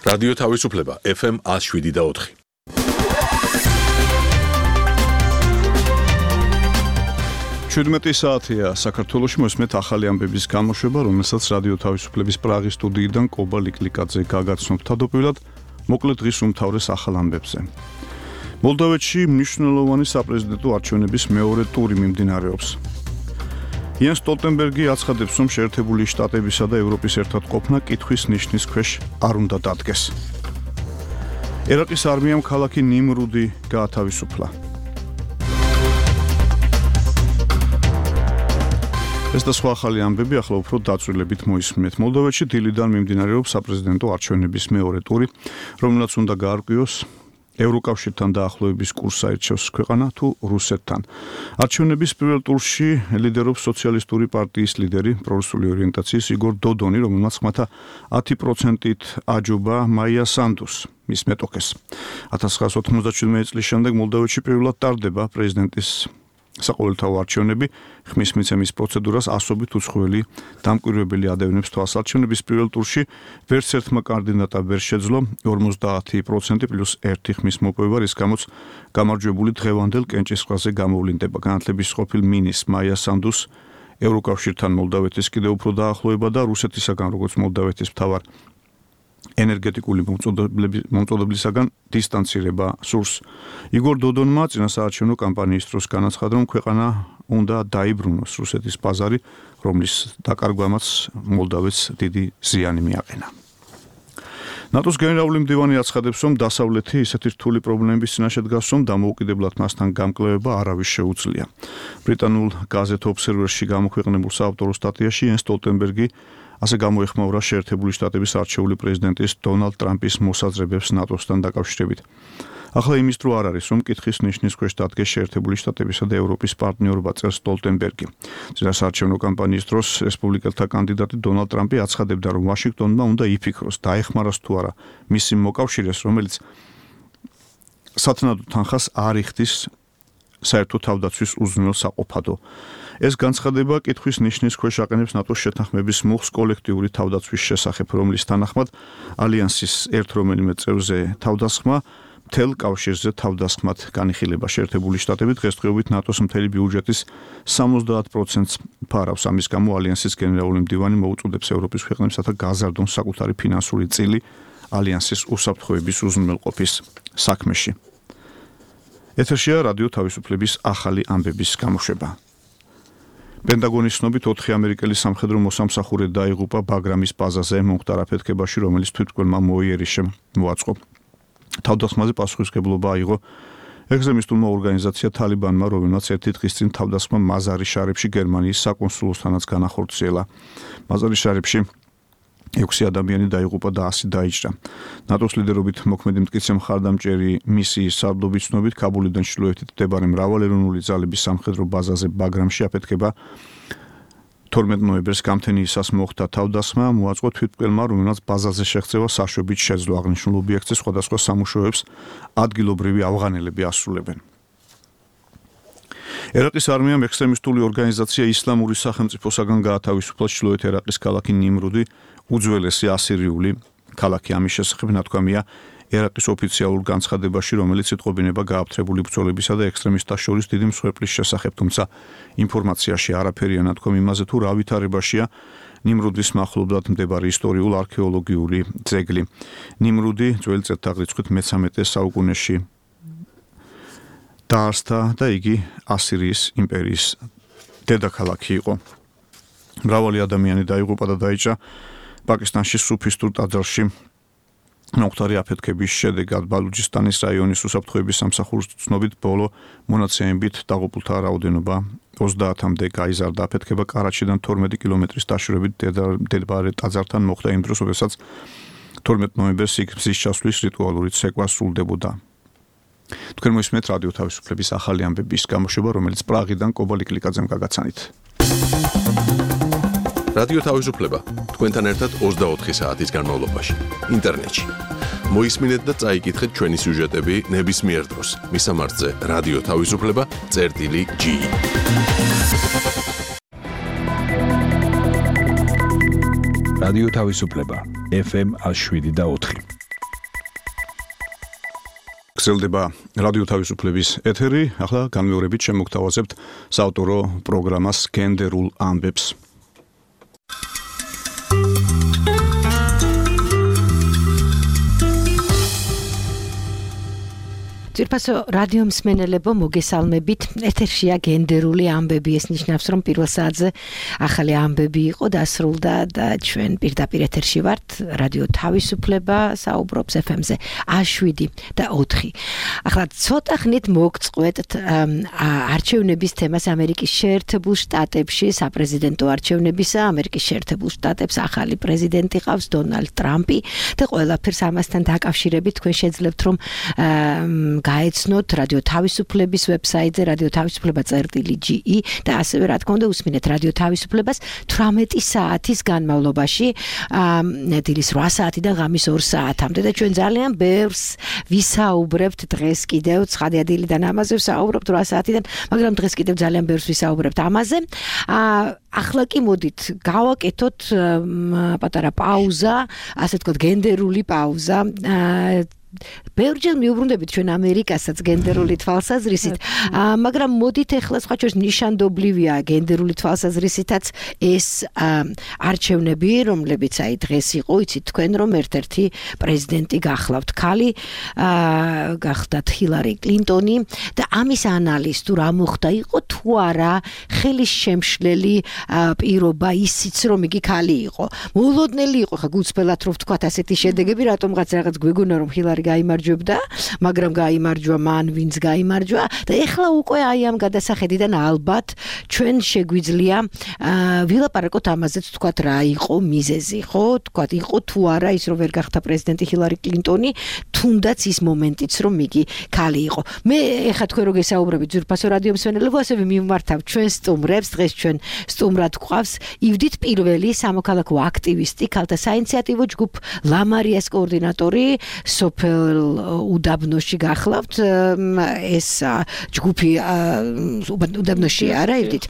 რადიო თავისუფლება FM 107.4. ჩვიდმეტი საათია საქართველოში მოსმეთ ახალი ამბების გამოშვება, რომელსაც რადიო თავისუფლების პრაღის სტუდიიდან კობა ლიკლიკაძე გაგაცნობთ თავდაპირველად მოკლედ დღის უმთავრეს ახალ ამბებზე. მოლდოვეთში მნიშვნელოვანი საპრეზიდენტო არჩევნების მეორე ტური მიმდინარეობს. იანს სტოლტენბერგი აცხადებს, რომ შეერთებული შტატებისა და ევროპის ერთად ყოფნა კითხვის ნიშნის ქვეშ არ უნდა დადგეს. ერაყის არმიამ ქალაქი ნიმრუდი გაათავისუფლა. ეს და სხვა ახალი ამბები ახლა უფრო დაწვრილებით მოისმინეთ. მოლდოვეთში დილიდან მიმდინარეობს საპრეზიდენტო არჩევნების მეორე ტური, რომელსაც უნდა გაარკვიოს ევროკავშირთან დაახლოების კურსს აირჩევს ქვეყანა თუ რუსეთთან. არჩევნების პირველ ტურში ლიდერობს სოციალისტური პარტიის ლიდერი, პრორუსული ორიენტაციის იგორ დოდონი, რომელმაც ხმათა 10%-ით აჯობა მაია სანდუს, მის მეტოქეს. 1997 წლის შემდეგ მოლდოვეთში პირველად ტარდება პრეზიდენტის საყოველთაო არჩევნები, ხმის მიცემის პროცედურას ასობით უცხოელი დამკვირვებელი ადევნებს თვალს. არჩევნების პირველ ტურში ვერც ერთმა კანდიდატმა ვერ შეძლო 50% პლუს 1 ხმის მოპოვება, რის გამოც გამარჯვებული დღევანდელ კენჭისყრაზე გამოვლინდება. განათლების ყოფილ მინისტრ მაია სანდუს ევროკავშირთან მოლდოვეთის კიდევ უფრო დაახლოება და რუსეთისაგან, როგორც მოლდოვეთის მთავარ ენერგეტიკული მომწოდებლისაგან დისტანცირება სურს. იგორ დოდონმა წინა საარჩევნო კამპანიის დროს განაცხადა, რომ ქვეყანა უნდა დაიბრუნოს რუსეთის ბაზარი, რომლის დაკარგვამაც მოლდოვეთს დიდი ზიანი მიაყენა. ნატოს გენერალური მდივანი აცხადებს, რომ დასავლეთი ისეთი რთული პრობლემების წინაშე დგას, რომ დამოუკიდებლად მასთან გამკლევება არავის შეუძლია. ბრიტანულ გაზეთ ობსერვერში გამოქვეყნებულ საავტორო სტატიაში იანს სტოლტენბერგი ასე გამოეხმაურა შეერთებული შტატების არჩეული პრეზიდენტის დონალდ ტრამპის მოსაზრებებს ნატოსთან დაკავშირებით. ახლა იმის დრო არ არის, რომ კითხვის ნიშნის ქვეშ დადგეს შეერთებული შტატებისა და ევროპის პარტნიორობა, წერს სტოლტენბერგი. წინა საარჩევნო კამპანიის დროს რესპუბლიკელთა კანდიდატი დონალდ ტრამპი აცხადებდა, რომ ვაშინგტონმა უნდა იფიქროს, დაეხმაროს თუ არა მისი მოკავშირეს, რომელიც სათანადო თანხას არ იხდის საერთო თავდაცვის უზრუნველ საყოფადო. ეს განცხადება კითხვის ნიშნის ქვეშ აყენებს ნატოს შეთანხმების მუხს კოლექტიური თავდაცვის შესახებ, რომლის თანახმად ალიანსის ერთ რომელიმე წევრზე თავდასხმა მთელ კავშირზე თავდასხმად განიხილება. შეერთებული შტატები დღესდღეობით ნატოს მთელი ბიუჯეტის 70%-ს ფარავს. ამის გამო ალიანსის გენერალური მდივანი მოუწოდებს ევროპის ქვეყნებსა გაზარდონ საკუთარი ფინანსური წილი ალიანსის უსაფრთხოების უზრუნველყოფის საქმეში. ეთერშია რადიო თავისუფლების ახალი ამბების გამოშვება. პენტაგონის ცნობით 4 ამერიკელი სამხედრო მოსამსახურე დაიღუპა ბაგრამის ბაზაზე მომხდარ აფეთქებაში, რომელიც თვითმკვლელმა მოიერიშემ მოაწყო. თავდასხმაზე პასუხისმგებლობა აიღო ექსტრემისტულმა ორგანიზაცია თალიბანმა, რომელმაც ერთი დღის წინ თავდასხმა მაზარი შარიფში გერმანიის საკონსულოსთანაც განახორციელა. მაზარი შარიფში 6 ადამიანი დაიღუპა და 100 დაიჭრა. ნატოს ლიდერობით მოქმედი მტკიცე მხარდამჭერი მისიის სარდლობის ცნობით კაბულიდან ჩრდილოეთით მდებარე მრავალეროვნული ძალების სამხედრო ბაზაზე ბაგრამში აფეთქება 12 ნოემბერს გამთენიისას მოხდა თავდასხმა, მოაწყო თვითმკვლელმა, რომელმაც ბაზაზე შეღწევა საშვებით შეძლო. აღნიშნულ ობიექტზე სხვადასხვა სამუშაოებს ადგილობრივი ავღანელები ასრულებენ. ერაყის არმიამ ექსტრემისტული ორგანიზაცია ისლამური სახელმწიფოსაგან გაათავისუფლა ჩრდილოეთ ერაყის ქალაქი ნიმრუდი, უძველესი ასირიული ქალაქი. ამის შესახებ ნათქვამია ერაყის ოფიციალურ განცხადებაში, რომელიც იტყობინება გააფთრებული ბრძოლებისა და ექსტრემისტთა შორის დიდი მსხვერპლის შესახებ, თუმცა ინფორმაციაში არაფერია ნათქვამი იმაზე, თუ რა ვითარებაშია ნიმრუდის მახლობლად მდებარე ისტორიულ-არქეოლოგიური ძეგლი. ნიმრუდი ძველი წელთაღრიცხვით მე-13 საუკუნეში დაარსდა და იგი ასირიის იმპერიის დედაქალაქი იყო. მრავალი ადამიანი დაიღუპა და დაიჭრა პაკისტანში სუფისტურ ტაძარში მომხდარი აფეთქების შედეგად. ბალუჯისტანის რაიონის უსაფრთხოების სამსახურის ცნობით ბოლო მონაცემებით დაღუპულთა რაოდენობა 30-მდე გაიზარდა. აფეთქება კარაჩიდან 12 კილომეტრის დაშორებით მდებარე ტაძართან მოხდა იმ დროს, როდესაც 12 ნოემბერს მზის ჩასვლის რიტუალური ცეკვა სრულდებოდა. თქვენ მოისმენთ რადიო თავისუფლების ახალი ამბების გამოშვება, რომელიც პრაღიდან კობა ლიკლიკაძემ გაგაცანით. რადიო თავისუფლება თქვენთან ერთად 24 საათის განმავლობაში ინტერნეტში. მოისმინეთ და წაიკითხეთ ჩვენი სიუჟეტები ნებისმიერ დროს. მისამართზე რადიო თავისუფლება.ge. რადიო თავისუფლება FM 107.4. გრძელდება რადიო თავისუფლების ეთერი, ახლა განმეორებით შემოგთავაზებთ საავტორო პროგრამას გენდერულ ამბებს. ძირფასო რადიო მსმენელებო მოგესალმებით. ეთერშია გენდერული ამბები. ეს ნიშნავს, რომ პირველ საათზე ახალი ამბები იყო დასრულდა და ჩვენ პირდაპირ ეთერში ვართ. რადიო თავისუფლება საუბრობს FM-ზე 7 და 4. ახლა ცოტა ხნით მოგწყვეტთ არჩევნების თემას ამერიკის შეერთებულ შტატებში, საპრეზიდენტო არჩევნებისა. ამერიკის შეერთებულ შტატებს ახალი პრეზიდენტი ყავს, დონალდ ტრამპი და ყველაფერს ამასთან დაკავშირებით თქვენ შეძლებთ, რომ გაეცნოთ რადიო თავისუფლების ვებსაიტზე radio-tavisupleba.ge და ასევე რა თქმა უნდა უსმინეთ რადიო თავისუფლებას 18 საათის განმავლობაში დილის 8 საათიდან ღამის 2 საათამდე და ჩვენ ძალიან ბევრს ვისაუბრებთ დღეს კიდევ ცხადიადილიდან ამაზე ვსაუბრობთ 8 საათიდან, მაგრამ დღეს კიდევ ძალიან ბევრს ვისაუბრებთ ამაზე. ახლა კი მოდით გავაკეთოთ პატარა პაუზა, ასე ვთქვათ გენდერული პაუზა. ბევრჯერ მიუბრუნდებით ჩვენ ამერიკასაც გენდერული თვალსაზრისით, მაგრამ მოდით ახლა სხვა შორის ნიშანდობლივია გენდერული თვალსაზრისითაც ეს არჩევნები, რომლებიც აი დღეს იყო, იცით თქვენ რომ ერთ-ერთი პრეზიდენტი გახლავთ ქალი, გახდათ ჰილარი კლინტონი და ამის ანალიზ თუ რა მოხდა იყო თუ არა ხელის შემშლელი პირობა ისიც რომ იგი ქალი იყო. მოულოდნელი იყო ხა გულწრფელად რომ ვთქვათ ასეთი შედეგები, რატომღაც რაღაც გვეგონა რომ ჰილარი გაიმარჯვებდა, მაგრამ გაიმარჯვა მან ვინც გაიმარჯვა და ეხლა უკვე აი ამ გადასახედიდან ალბათ ჩვენ შეგვიძლია ვილაპარაკოთ ამაზეც თქვათ რა იყო მიზეზი, ხო? თქვათ იყო თუ არა ის რომ ვერ გახდა პრეზიდენტი ჰილარი კლინტონი, თუნდაც ის მომენტიც რომ იგი ქალი იყო. მე ეხლა თქვენ რო გესაუბრებით ძვირფასო რადიო მსმენელებო, ასევე მიმართავ ჩვენ სტუმრებს, დღეს ჩვენ სტუმრად გვყავს ივდით პირველი სამოქალაქო აქტივისტი, ქალთა საინიციატივო ჯგუფ ლამარიას კოორდინატორი სოფელ უდაბნოში გახლავთ. ეს ჯგუფი უდაბნოში არა ივდით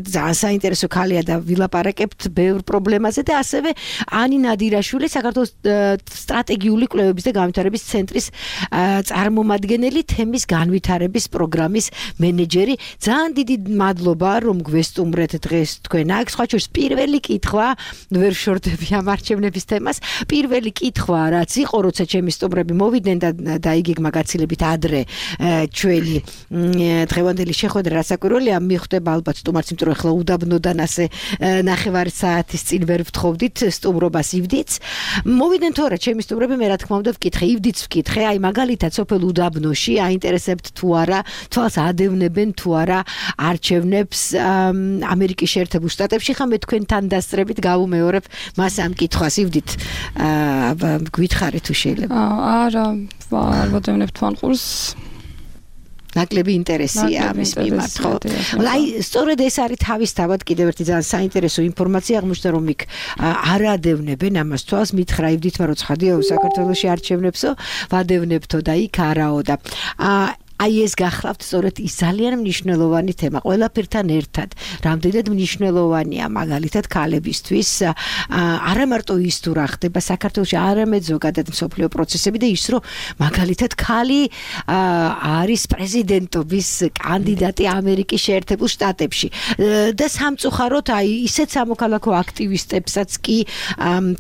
ძალიან საინტერესო ქალია და ვილაპარაკებთ ბევრ პრობლემაზე და ასევე ანი ნადირაშვილი, საქართველოს სტრატეგიული კვლევების და განვითარების ცენტრის წარმომადგენელი, თემის განვითარების პროგრამის მენეჯერი. ძალიან დიდი მადლობა რომ გვესტუმრეთ დღეს თქვენ აქ. სხვა შორის პირველი კითხვა, ვერ შორდები ამ არჩევნების თემას, პირველი კითხვა რაც იყო, როცა ჩემი სტუმრები მოვიდნენ და დაიგეგმა გაცილებით ადრე ჩვენი დღევანდელი შეხვედრა რასაკვირველია მიხვდება ალბათ სტუმარს, იმიტომ რომ ახლა უდაბნოდან ასე ნახევარი საათის წინ ვერ ვთხოვდით სტუმრობას ივდიც. მოვიდნენ თორე ჩემი სტუმრები, მე რა თქმა უნდა ვკითხე, ივდიც ვკითხე, აი მაგალითად სოფელ უდაბნოში აინტერესებთ თუ არა, თვალს ადევნებენ თუ არა არჩევნებს ამერიკის შეერთებულ შტატებში. ხა მე თქვენთან დასწრებით გავუმეორებ მას ამ კითხვას, ივდით გითხარით თუ შეიძლება. არა, არ ვადევნებ თვალყურს. ნაკლები ინტერესია ამის მიმართ, ხო? აი, სწორედ ეს არის თავისთავად კიდევ ერთი ძალიან საინტერესო ინფორმაცია აღმოჩნდა, რომ იქ არ ადევნებენ ამას თვალს, მითხრა ივდით, მაგრამ ცხადია საქართველოში არჩევნებსო, ვადევნებთო და იქ არაო და აი ეს გახლავთ სწორედ ის ძალიან მნიშვნელოვანი თემა ყველაფერთან ერთად. რამდენად მნიშვნელოვანია მაგალითად ქალებისთვის არა მარტო ის თუ რა ხდება საქართველოში, არამედ ზოგადად მსოფლიო პროცესები და ის რომ მაგალითად ქალი არის პრეზიდენტობის კანდიდატი ამერიკის შეერთებულ შტატებში და სამწუხაროდ აი ისეთ სამოქალაქო აქტივისტებსაც კი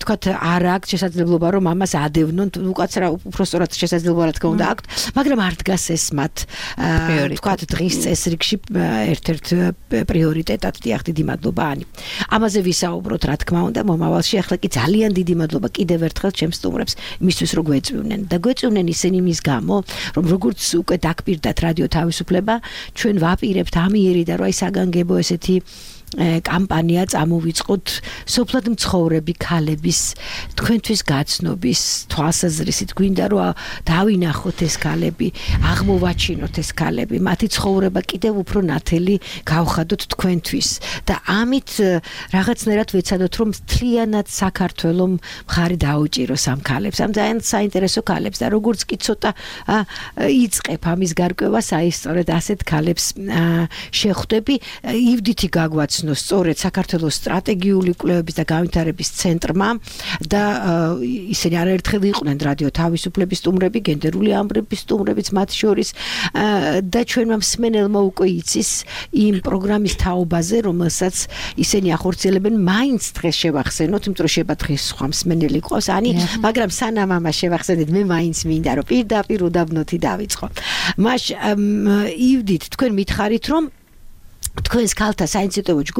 თქვათ არ აქვს შესაძლებლობა რომ ამას ადევნონ, უკაცრა უпростоრად შესაძლებლობა რა თქმა უნდა აქვთ, მაგრამ არ დგას ეს მათ თქვათ დღის წესრიგში ერთ-ერთ პრიორიტეტად. დიახ, დიდი მადლობა ანი. ამაზე ვისაუბროთ რა თქმა უნდა მომავალში. ახლა კი ძალიან დიდი მადლობა კიდევ ერთხელ ჩემს სტუმრებს იმისთვის რომ გვეწვივნენ და გვეწვივნენ ისინი იმის გამო რომ როგორც უკვე დაგპირდათ რადიო თავისუფლება, ჩვენ ვაპირებთ ამიერი და რა ისაგანგებო ესეთი კამპანია წამოვიწყოთ სოფლად მცხოვრები ქალების თქვენთვის გაცნობის თვალსაზრისით. გვინდა რომ დავინახოთ ეს ქალები, აღმოვაჩინოთ გააჩინოთ ეს ქალები, მათი ცხოვრება კიდევ უფრო ნათელი გავხადოთ თქვენთვის და ამით რაღაცნაირად ვეცადოთ რომ მთლიანად საქართველოს მხარი დაუჭიროს ამ ქალებს, ამ ძალიან საინტერესო ქალებს და როგორც კი ცოტა იწყებ ამის გარკვევას, აი სწორედ ასეთ ქალებს შეხვდები, ივდითი გაგვაცნო სწორედ საქართველოს სტრატეგიული კვლევების და განვითარების ცენტრმა და ისინი არაერთხელ იყვნენ რადიო თავისუფლების სტუმრები, გენდერული ამბების სტუმრებიც მათ შორის და ჩვენმა მსმენელმა უკვე იცის იმ პროგრამის თაობაზე, რომელსაც ისინი ახორციელებენ, მაინც დღეს შევახსენოთ, იმიტომ რომ შეება დღეს სხვა მსმენელი ყავს, მაგრამ სანამ ამას შევახსენეთ, მე მაინც მინდა რომ პირდაპირ უდაბნოთი დავიწყო. მაშ ივდით, თქვენ მითხარით რომ თქვენს ქალთა საინციდენტო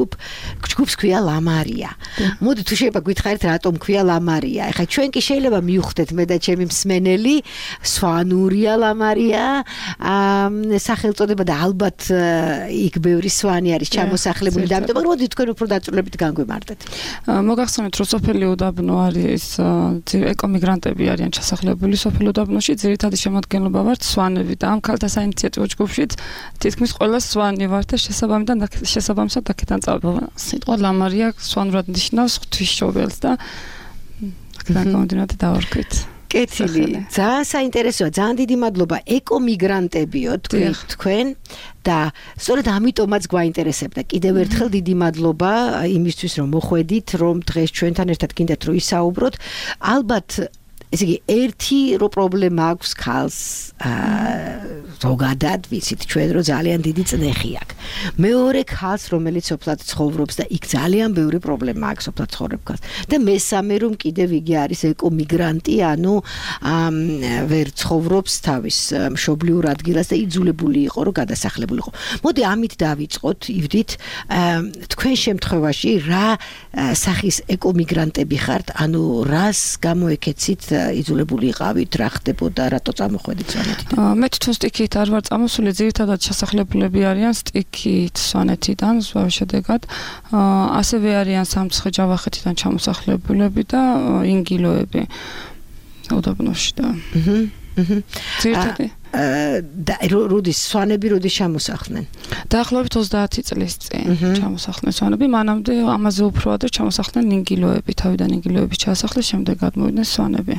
ჯგუფს ქვია ლამარია. მოდი თუ შეიძლება გითხარით რატომ ქვია ლამარია. ეხლა ჩვენ კი შეიძლება მივხვდეთ მე და ჩემი მსმენელი სვანურია ლამარია, სახელწოდება და ალბათ იქ ბევრი სვანი არის ჩამოსახლებული და ამიტომ მოდი თქვენ უფრო დაწვრილებით განგვიმარტეთ. მოგახსენეთ რომ სოფელი უდაბნო არის ეკომიგრანტები არიან ჩასახლებული სოფელ უდაბნოში, ძირითადი შემადგენლობა ვართ სვანები და ამ ქალთა საინიციატივო ჯგუფში თითქმის ყველა სვანი ვართ და შესაბამისად აქედან წავიდა. სიტყვა ლამარია სვანურად ნიშნავს ღვთისმშობელს და აქედან გამომდინარე დავარქვით. კეთილი, ძალიან საინტერესოა, ძალიან დიდი მადლობა ეკომიგრანტებიო თქვენ და სწორედ ამიტომაც გვაინტერესებდა. კიდევ ერთხელ დიდი მადლობა იმისთვის რომ მოხვედით, რომ დღეს ჩვენთან ერთად გინდათ რომ ისაუბროთ. ალბათ ესე იგი ერთი რო პრობლემა აქვს ქალს ზოგადად ვიცით ჩვენ რომ ძალიან დიდი წნეხი აქვს. მეორე ქალს რომელიც სოფლად ცხოვრობს და იქ ძალიან ბევრი პრობლემა აქვს სოფლად ცხოვრებ ქალს. და მესამე რომ კიდევ იგი არის ეკომიგრანტი, ანუ ვერ ცხოვრობს თავის მშობლიურ ადგილას და იძულებული იყო რომ გადასახლებული იყო. მოდი ამით დავიწყოთ, ივდით, თქვენ შემთხვევაში რა სახის ეკომიგრანტები ხართ, ანუ რას გამოეკეცით იძულებული იყავით, რა ხდებოდა, რატო წამოხვედით სვანეთიდან? მე თვითონ სტიქით არ ვარ წამოსული, ძირითადად ჩასახლებულები არიან სტიქით სვანეთიდან, ზვავის შედეგად. ასევე არიან სამცხე-ჯავახეთიდან ჩამოსახლებულები და ინგილოები უდაბნოში და ძირითადი როდის სვანები როდის ჩამოსახლდნენ? დაახლოებით 30 წლის წინ ჩამოსახლდნენ სვანები, მანამდე ამაზე უფრო ადრე ჩამოსახლდნენ ინგილოები, თავიდან ინგილოები ჩაასახლეს, შემდეგ გადმოვიდნენ სვანები.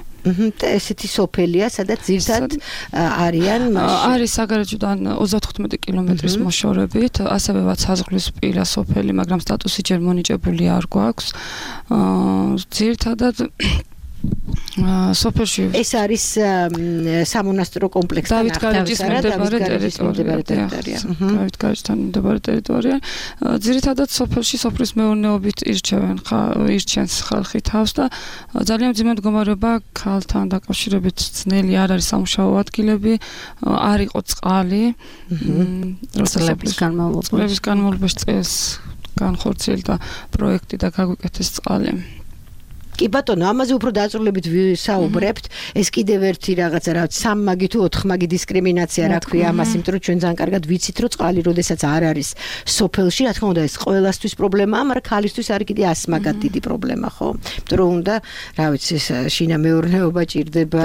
და ესეთი სოფელია, სადაც ძირთად არიან არის საგარეჯოდან 35 კილომეტრის მოშორებით, ასევეවත් საზღვრისპირა სოფელი, მაგრამ სტატუსი ჯერ მონიჭებული არ გვაქვს. ძირთადად სოფელში ეს არის სამონასტრო კომპლექსთან ახლოს დავითგარეჯთან მდებარე ტერიტორია. ძირითადად სოფელში სოფლის მეურნეობით ირჩენს ხალხი თავს და ძალიან მძიმე მდგომარეობა ქალთან დაკავშირებით ძნელი არ არის სამუშაო ადგილები, არ იყო წყალი. წლების განმავლობაში წელს განხორციელდა პროექტი და გაგვიკეთეს წყალი. კი ბატონო, ამაზე უფრო დაწვრილებით ვისაუბრებთ. ეს კიდევ ერთი რაღაცა, რაც სამმაგი თუ ოთხმაგი დისკრიმინაცია რა ქვია ამას, იმიტომ რომ ჩვენ ძალიან კარგად ვიცით, რომ წყალი როდესაც არ არის სოფელში, რა თქმა უნდა, ეს ყველასთვის პრობლემაა, მაგრამ ქალისთვის არის კიდე ასმაგად დიდი პრობლემა, ხო? იმიტომ რომ უნდა, რა ვიცი, შინა მეურნეობა ჭირდება,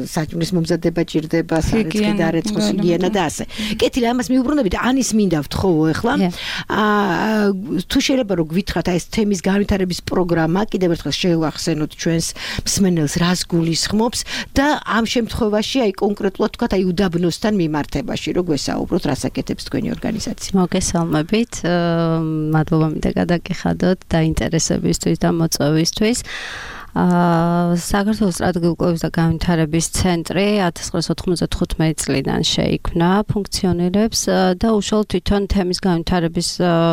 საჭმლის მომზადება ჭირდება, სარეცხი დარეცხვის ჰიგიენა და ასე. კეთილი, ამას მიუბრუნდებით, ანის მინდა ვთხოვო ახლა. თუ შეიძლება რომ გვითხრათ აი ეს თემის განვითარების პროგრამა, კიდევ ერთხელ შევახსენოთ ჩვენს მსმენელს რას გულისხმობს და ამ შემთხვევაში აი კონკრეტულად თქვათ აი უდაბნოსთან მიმართებაში რო გვესაუბროთ, რას აკეთებს თქვენი ორგანიზაცია. მოგესალმებით, მადლობა მინდა გადაგიხადოთ დაინტერესებისთვის და მოწვევისთვის. საქართველოს სტრატეგიული კვლევების და განვითარების ცენტრი 1995 წლიდან შეიქმნა, ფუნქციონირებს და უშუალოდ თვითონ თემის განვითარების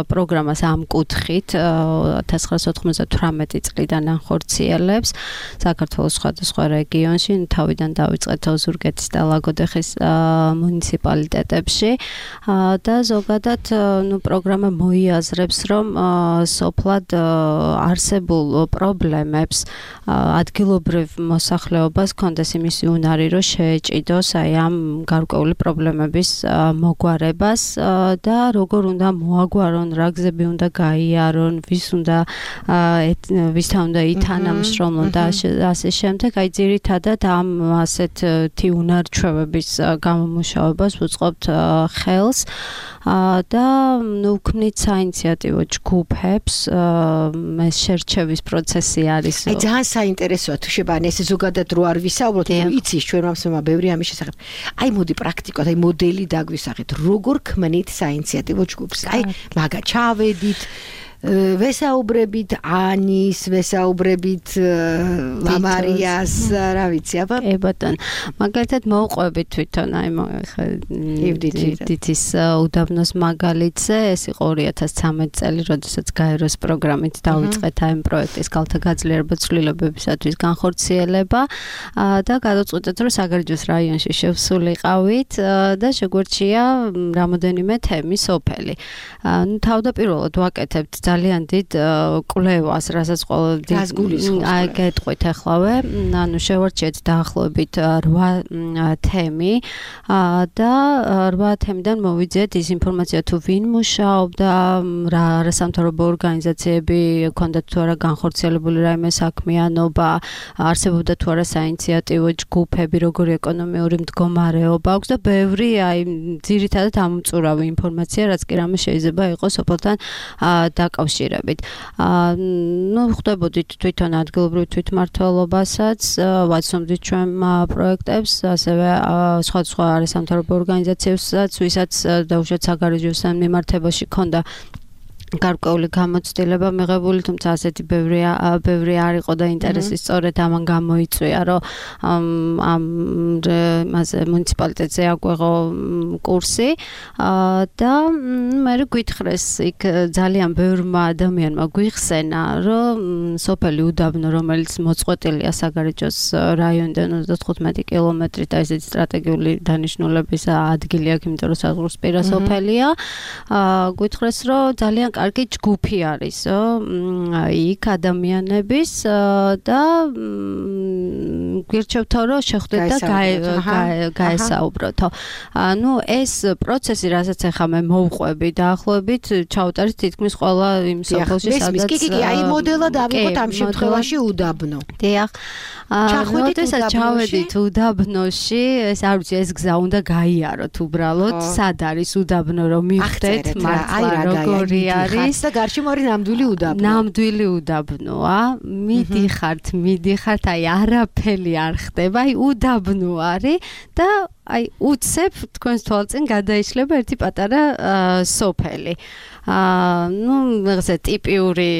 პროგრამას ამ კუთხით 1998 წლიდან ახორციელებს საქართველოს სხვადასხვა რეგიონში, თავიდან დაიწყეთ ოზურგეთის და ლაგოდეხის მუნიციპალიტეტებში და ზოგადად პროგრამა მოიაზრებს, რომ სოფლად არსებულ პრობლემებს ადგილობრივ მოსახლეობას კონდეს იმისი უნარი, რომ შეეჭიდოს აი ამ გარკვეული პრობლემების მოგვარებას და როგორ უნდა მოაგვარონ, რა გზები უნდა გაიარონ, ვისთან უნდა ითანამშრომლონ და ასე შემდეგ. აი ძირითადად ამ ასეთი უნარჩვევების გამომუშავებას ვუწყობთ ხელს და ვქმნით საინიციატივო ჯგუფებს, ეს შერჩევის პროცესი არის. აი ძალიან საინტერესოა თუ შეგან ეს ზოგადად რო არ ვისაუბროთ, იცის ჩვენ მომსმა ბევრი ამის შესახებ. აი მოდი პრაქტიკულად, აი მოდელი დაგვისახეთ, როგორ ქმნით საინიციატივო ჯგუფს. აი მაგა ჩავედით ვესაუბრებით ანის, ვესაუბრებით ლამარიას, რა ვიცი, აბა. ბატონ, მაგალითად მოვყვებით თვითონ აი ევდითის უდაბნოს მაგალითზე, ეს იყო 2013 წელი, როდესაც გაეროს პროგრამით დავიწყეთ აი ამ პროექტის ქალთა გაძლიერება ცვლილებებისათვის განხორციელება და გადავწყვეტეთ, რომ საგარეჯოს რაიონში შევსულიყავით და შეგვერჩია რამოდენიმე თემი სოფელი. თავდაპირველად ვაკეთებთ ძალიან დიდ კვლევას, რასაც აი გეტყვით ახლავე, ანუ შევარჩიეთ დაახლოებით 8 თემი და 8 თემიდან მოვიძიეთ ის ინფორმაცია თუ ვინ მუშაობდა, რა არასამთავრობო ორგანიზაციები ჰქონდათ თუ არა განხორციელებული რაიმე საქმიანობა, არსებობდა თუ არა საინიციატივო ჯგუფები, როგორი ეკონომიური მდგომარეობა აქვს და ბევრი აი ძირითადად ამომწურავი ინფორმაცია, რაც კი რამე შეიძლება იყოს სოფელთან დაკავშირებით. ხვდებოდით თვითონ ადგილობრივ თვითმმართველობასაც, ვაცნობდით ჩვენ პროექტებს, ასევე სხვა არასამთავრობო ორგანიზაციებსაც, ვისაც დაუშვათ საგარეჯოს მიმართებაში ჰქონდა გარკვეული გამოცდილება მიღებული, თუმცა ასეთი ბევრი არ იყო და ინტერესი სწორედ ამან გამოიწვია, რომ ამაზე მუნიციპალიტეტზე აგვეღო კურსი და მე გვითხრეს იქ ძალიან ბევრმა ადამიანმა გვიხსენა, რომ სოფელი უდაბნო, რომელიც მოწყვეტილია საგარეჯოს რაიონიდან 35 კილომეტრით, და ესეთი სტრატეგიული დანიშნულების ადგილი აქვს, იმიტომ რომ საზღვრისპირა სოფელია, გვითხრეს, რომ ძალიან კარგი ჯგუფი არისო, იქ ადამიანების და გვირჩევთო, რომ შეხვდეთ და გაესაუბროთო. ანუ ეს პროცესი, რასაც ახლა მე მოვყვები, დაახლოებით ჩავუტარეთ თითქმის ყველა იმ სოფელში, სადაც კი, აი მოდელად ავიღოთ ამ შემთხვევაში უდაბნო. დიახ. როდესაც ჩავედით უდაბნოში, ეს არ ვიცი, ეს გზა უნდა გაიაროთ უბრალოდ, სად არის უდაბნო, რომ მივხვდეთ მართლა როგორი არის და გარშემო არის ნამდვილი უდაბნო. ნამდვილი უდაბნოა. მიდიხართ, აი არაფერი არ ხდება, აი უდაბნო არის და აი უცებ თქვენს თვალწინ გადაიშლება ერთი პატარა სოფელი. რაღაცა ტიპიური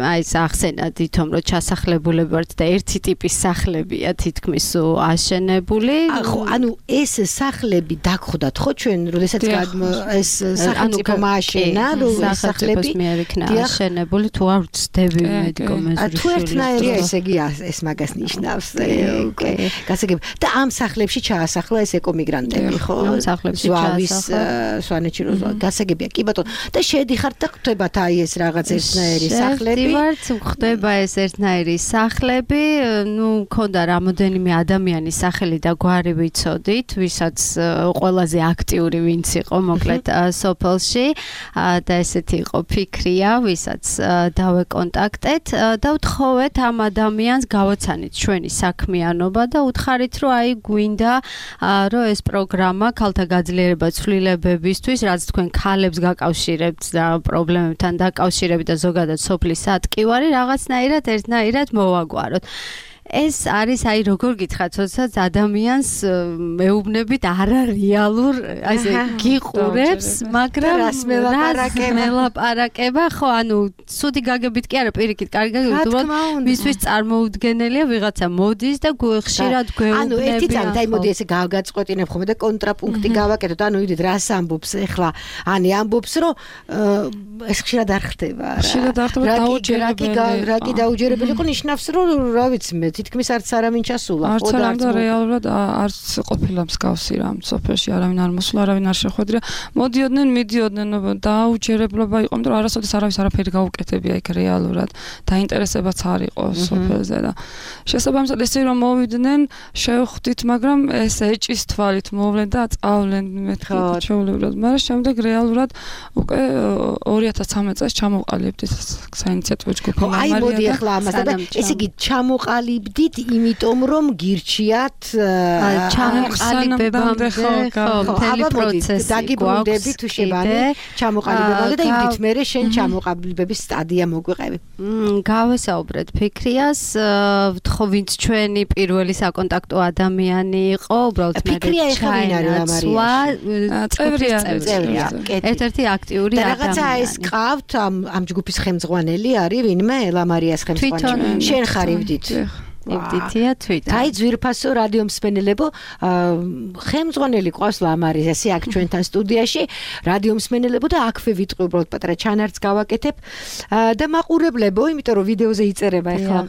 აი სახსენა თვითონ რომ ჩასახლებულები ვართ და ერთი ტიპის სახლებია თითქმის აშენებული. ხო, ანუ ეს სახლები დაგხვდათ ხო ჩვენ, როდესაც ეს სახელმწიფო მააშენა, რომ სახლები მიერ იქნა აშენებული, თუ არ ვწდები მედიკომენტური. თუ ერთნაირია, ესე იგი ეს magას ნიშნავს. გასაგები. და ამ სახლებში ჩაასახლა ეს ეკომიგრანტები, ხო? ამ სახლებში ჩაასახლა. სვანეთში რო გასაგებია. კი ბატონო. და შედიხართ და ხდებათ აი ეს რაღაც ერთნაირი სახლები. შედივართ, ხდება ეს ერთნაირი სახლები, მქონდა რამოდენიმე ადამიანის სახელი და გვარი ვიცოდით, ვისაც ყველაზე აქტიური ვინც იყო მოკლედ სოფელში და ესეთი იყო ფიქრია, ვისაც დავეკონტაქტეთ და ვთხოვეთ ამ ადამიანს გავაცანით ჩვენი საქმიანობა და უთხარით, რომ აი გვინდა რომ ეს პროგრამა ქალთა გაძლიერება ცვლილებებისთვის, რაც თქვენ ქალებს გაკავშირებთ და პრობლემებთან დაკავშირებით და ზოგადად სოფლის ატკივარი რაღაცნაირად ერთნაირად მოვაგვაროთ. ეს არის აი როგორ გითხრათ, როდესაც ადამიანს მეუბნებით არარეალურ ასე გიყურებს, მაგრამ რას მელაპარაკება, ხო, ანუ ცუდი გაგებით კი არა, პირიქით, კარგი გაგებით, უბრალოდ მისთვის წარმოუდგენელია ვიღაცა მოდის და ხშირად გვეუბნებიან. ანუ ერთი წამით, აი მოდი ესე გავგაწყვეტინებ ხოლმე და კონტრაპუნქტი გავაკეთოთ, ანუ იდით რას ამბობს ახლა, ანი ამბობს, რომ ეს ხშირად არ ხდება რა. ხშირად არ ხდება, დაუჯერებელი. რა კი დაუჯერებელი იყო, ნიშნავს, რომ რა ვიცი მე თითქმის არც არავინ ჩასულა. არც არავინ და რეალურად არც ყოფილა მსგავსი რამ სოფელში არავინ არ მოსულა, არავინ არ შეხვედრია. მოდიოდნენ, მიდიოდნენ, დაუჯერებლობა იყო, იმიტომ რომ არასოდეს არავის არაფერი გაუკეთებია იქ რეალურად. დაინტერესებაც არ იყო სოფელზე და შესაბამისად ესე რომ მოვიდნენ, შევხვდით, მაგრამ ეს ეჭის თვალით მოვლენ და წავლენ მეთქი ჩაულებრად, მაგრამ შემდეგ რეალურად უკვე 2013 წელს ჩამოყალიბდით საინიციატივო ჯგუფი აი მოდი ახლა ამასთან და ესე იგი ჩამოყალიბდით იმიტომ რომ გირჩიათ ჩამოყალიბებამდე ხო მთელი პროცესი დაგიბრუნდები თუ შევანი ჩამოყალიბებამდე და იმით მერე შენ ჩამოყალიბების სტადია მოგვიყევი გავესაუბრეთ ფიქრიას ვთხოვ ვინც ჩვენი პირველი საკონტაქტო ადამიანი იყო უბრალოდ მე ფიქრია ეხლა ვინ არის ლამარია წევრია ერთ-ერთი აქტიური ადამიანი რაღაცა ეს ყავთ ამ ჯგუფის ხელმძღვანელი არის ვინმე ლამარიას ხელმძღვანელი შენ ხარ ივდით ევდითია თვითონ აი ძვირფასო რადიო მსმენელებო ხელმძღვანელი ყავს ლამარის ესე აქ ჩვენთან სტუდიაში რადიო მსმენელებო და აქვე ვიტყვი უბრალოდ პატარა ჩანართს გავაკეთებ და მაყურებლებო იმიტომ რომ ვიდეოზე იწერება ახლა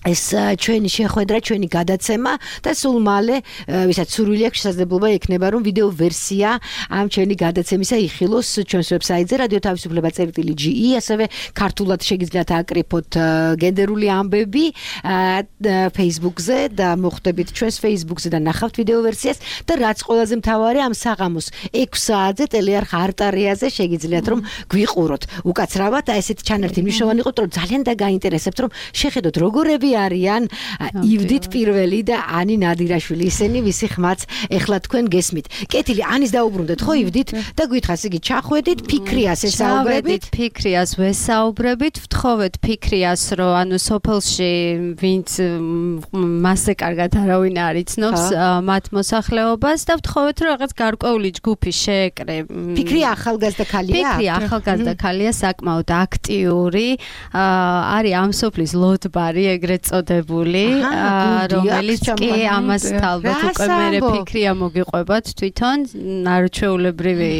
ეს ჩვენი შეხვედრა, ჩვენი გადაცემა და სულ მალე, ვისაც სურვილი აქვს შესაძლებლობა ექნება რომ ვიდეო ვერსია ამ ჩვენი გადაცემისა იხილოს ჩვენს ვებსაიტზე რადიო თავისუფლება.ge, ასევე ქართულად შეგიძლიათ აკრიფოთ გენდერული ამბები Facebook-ზე და მოხვდებით ჩვენს Facebook-ზე და ნახავთ ვიდეო ვერსიას და რაც ყველაზე მთავარი ამ საღამოს 6 საათზე ტელეარხ არტარიაზე შეგიძლიათ რომ გვიყუროთ. უკაცრავად და ესეთი ჩანართი მნიშვნელოვანი იყო, რომ ძალიან დაგაინტერესებთ რომ შეხედოთ როგორები არიან ივდით პირველი და ანი ნადირაშვილი ისინი ვისი ხმაც ეხლა თქვენ გესმით. კეთილი ანის დაუბრუნდეთ ხო ივდით და გითხრას იგი ჩახვედით ფიქრიას ესაუბრებით ფიქრიას ვესაუბრებით ვთხოვეთ ფიქრიას რომ ანუ სოფელში ვინც მასზე კარგად არავინ არ იცნობს მათ მოსახლეობას და ვთხოვეთ რომ რაღაც გარკვეული ჯგუფი შეეკრე ფიქრია ახალგაზრდა ქალია ფიქრია ახალგაზრდა ქალია საკმაოდ აქტიური არის ამ სოფლის ლოტბარი ეგრეთ წოდებული რომელიც კი ამას ალბათ უკვე მე ფიქრია მოგიყვებათ თვითონ არჩეულებრივი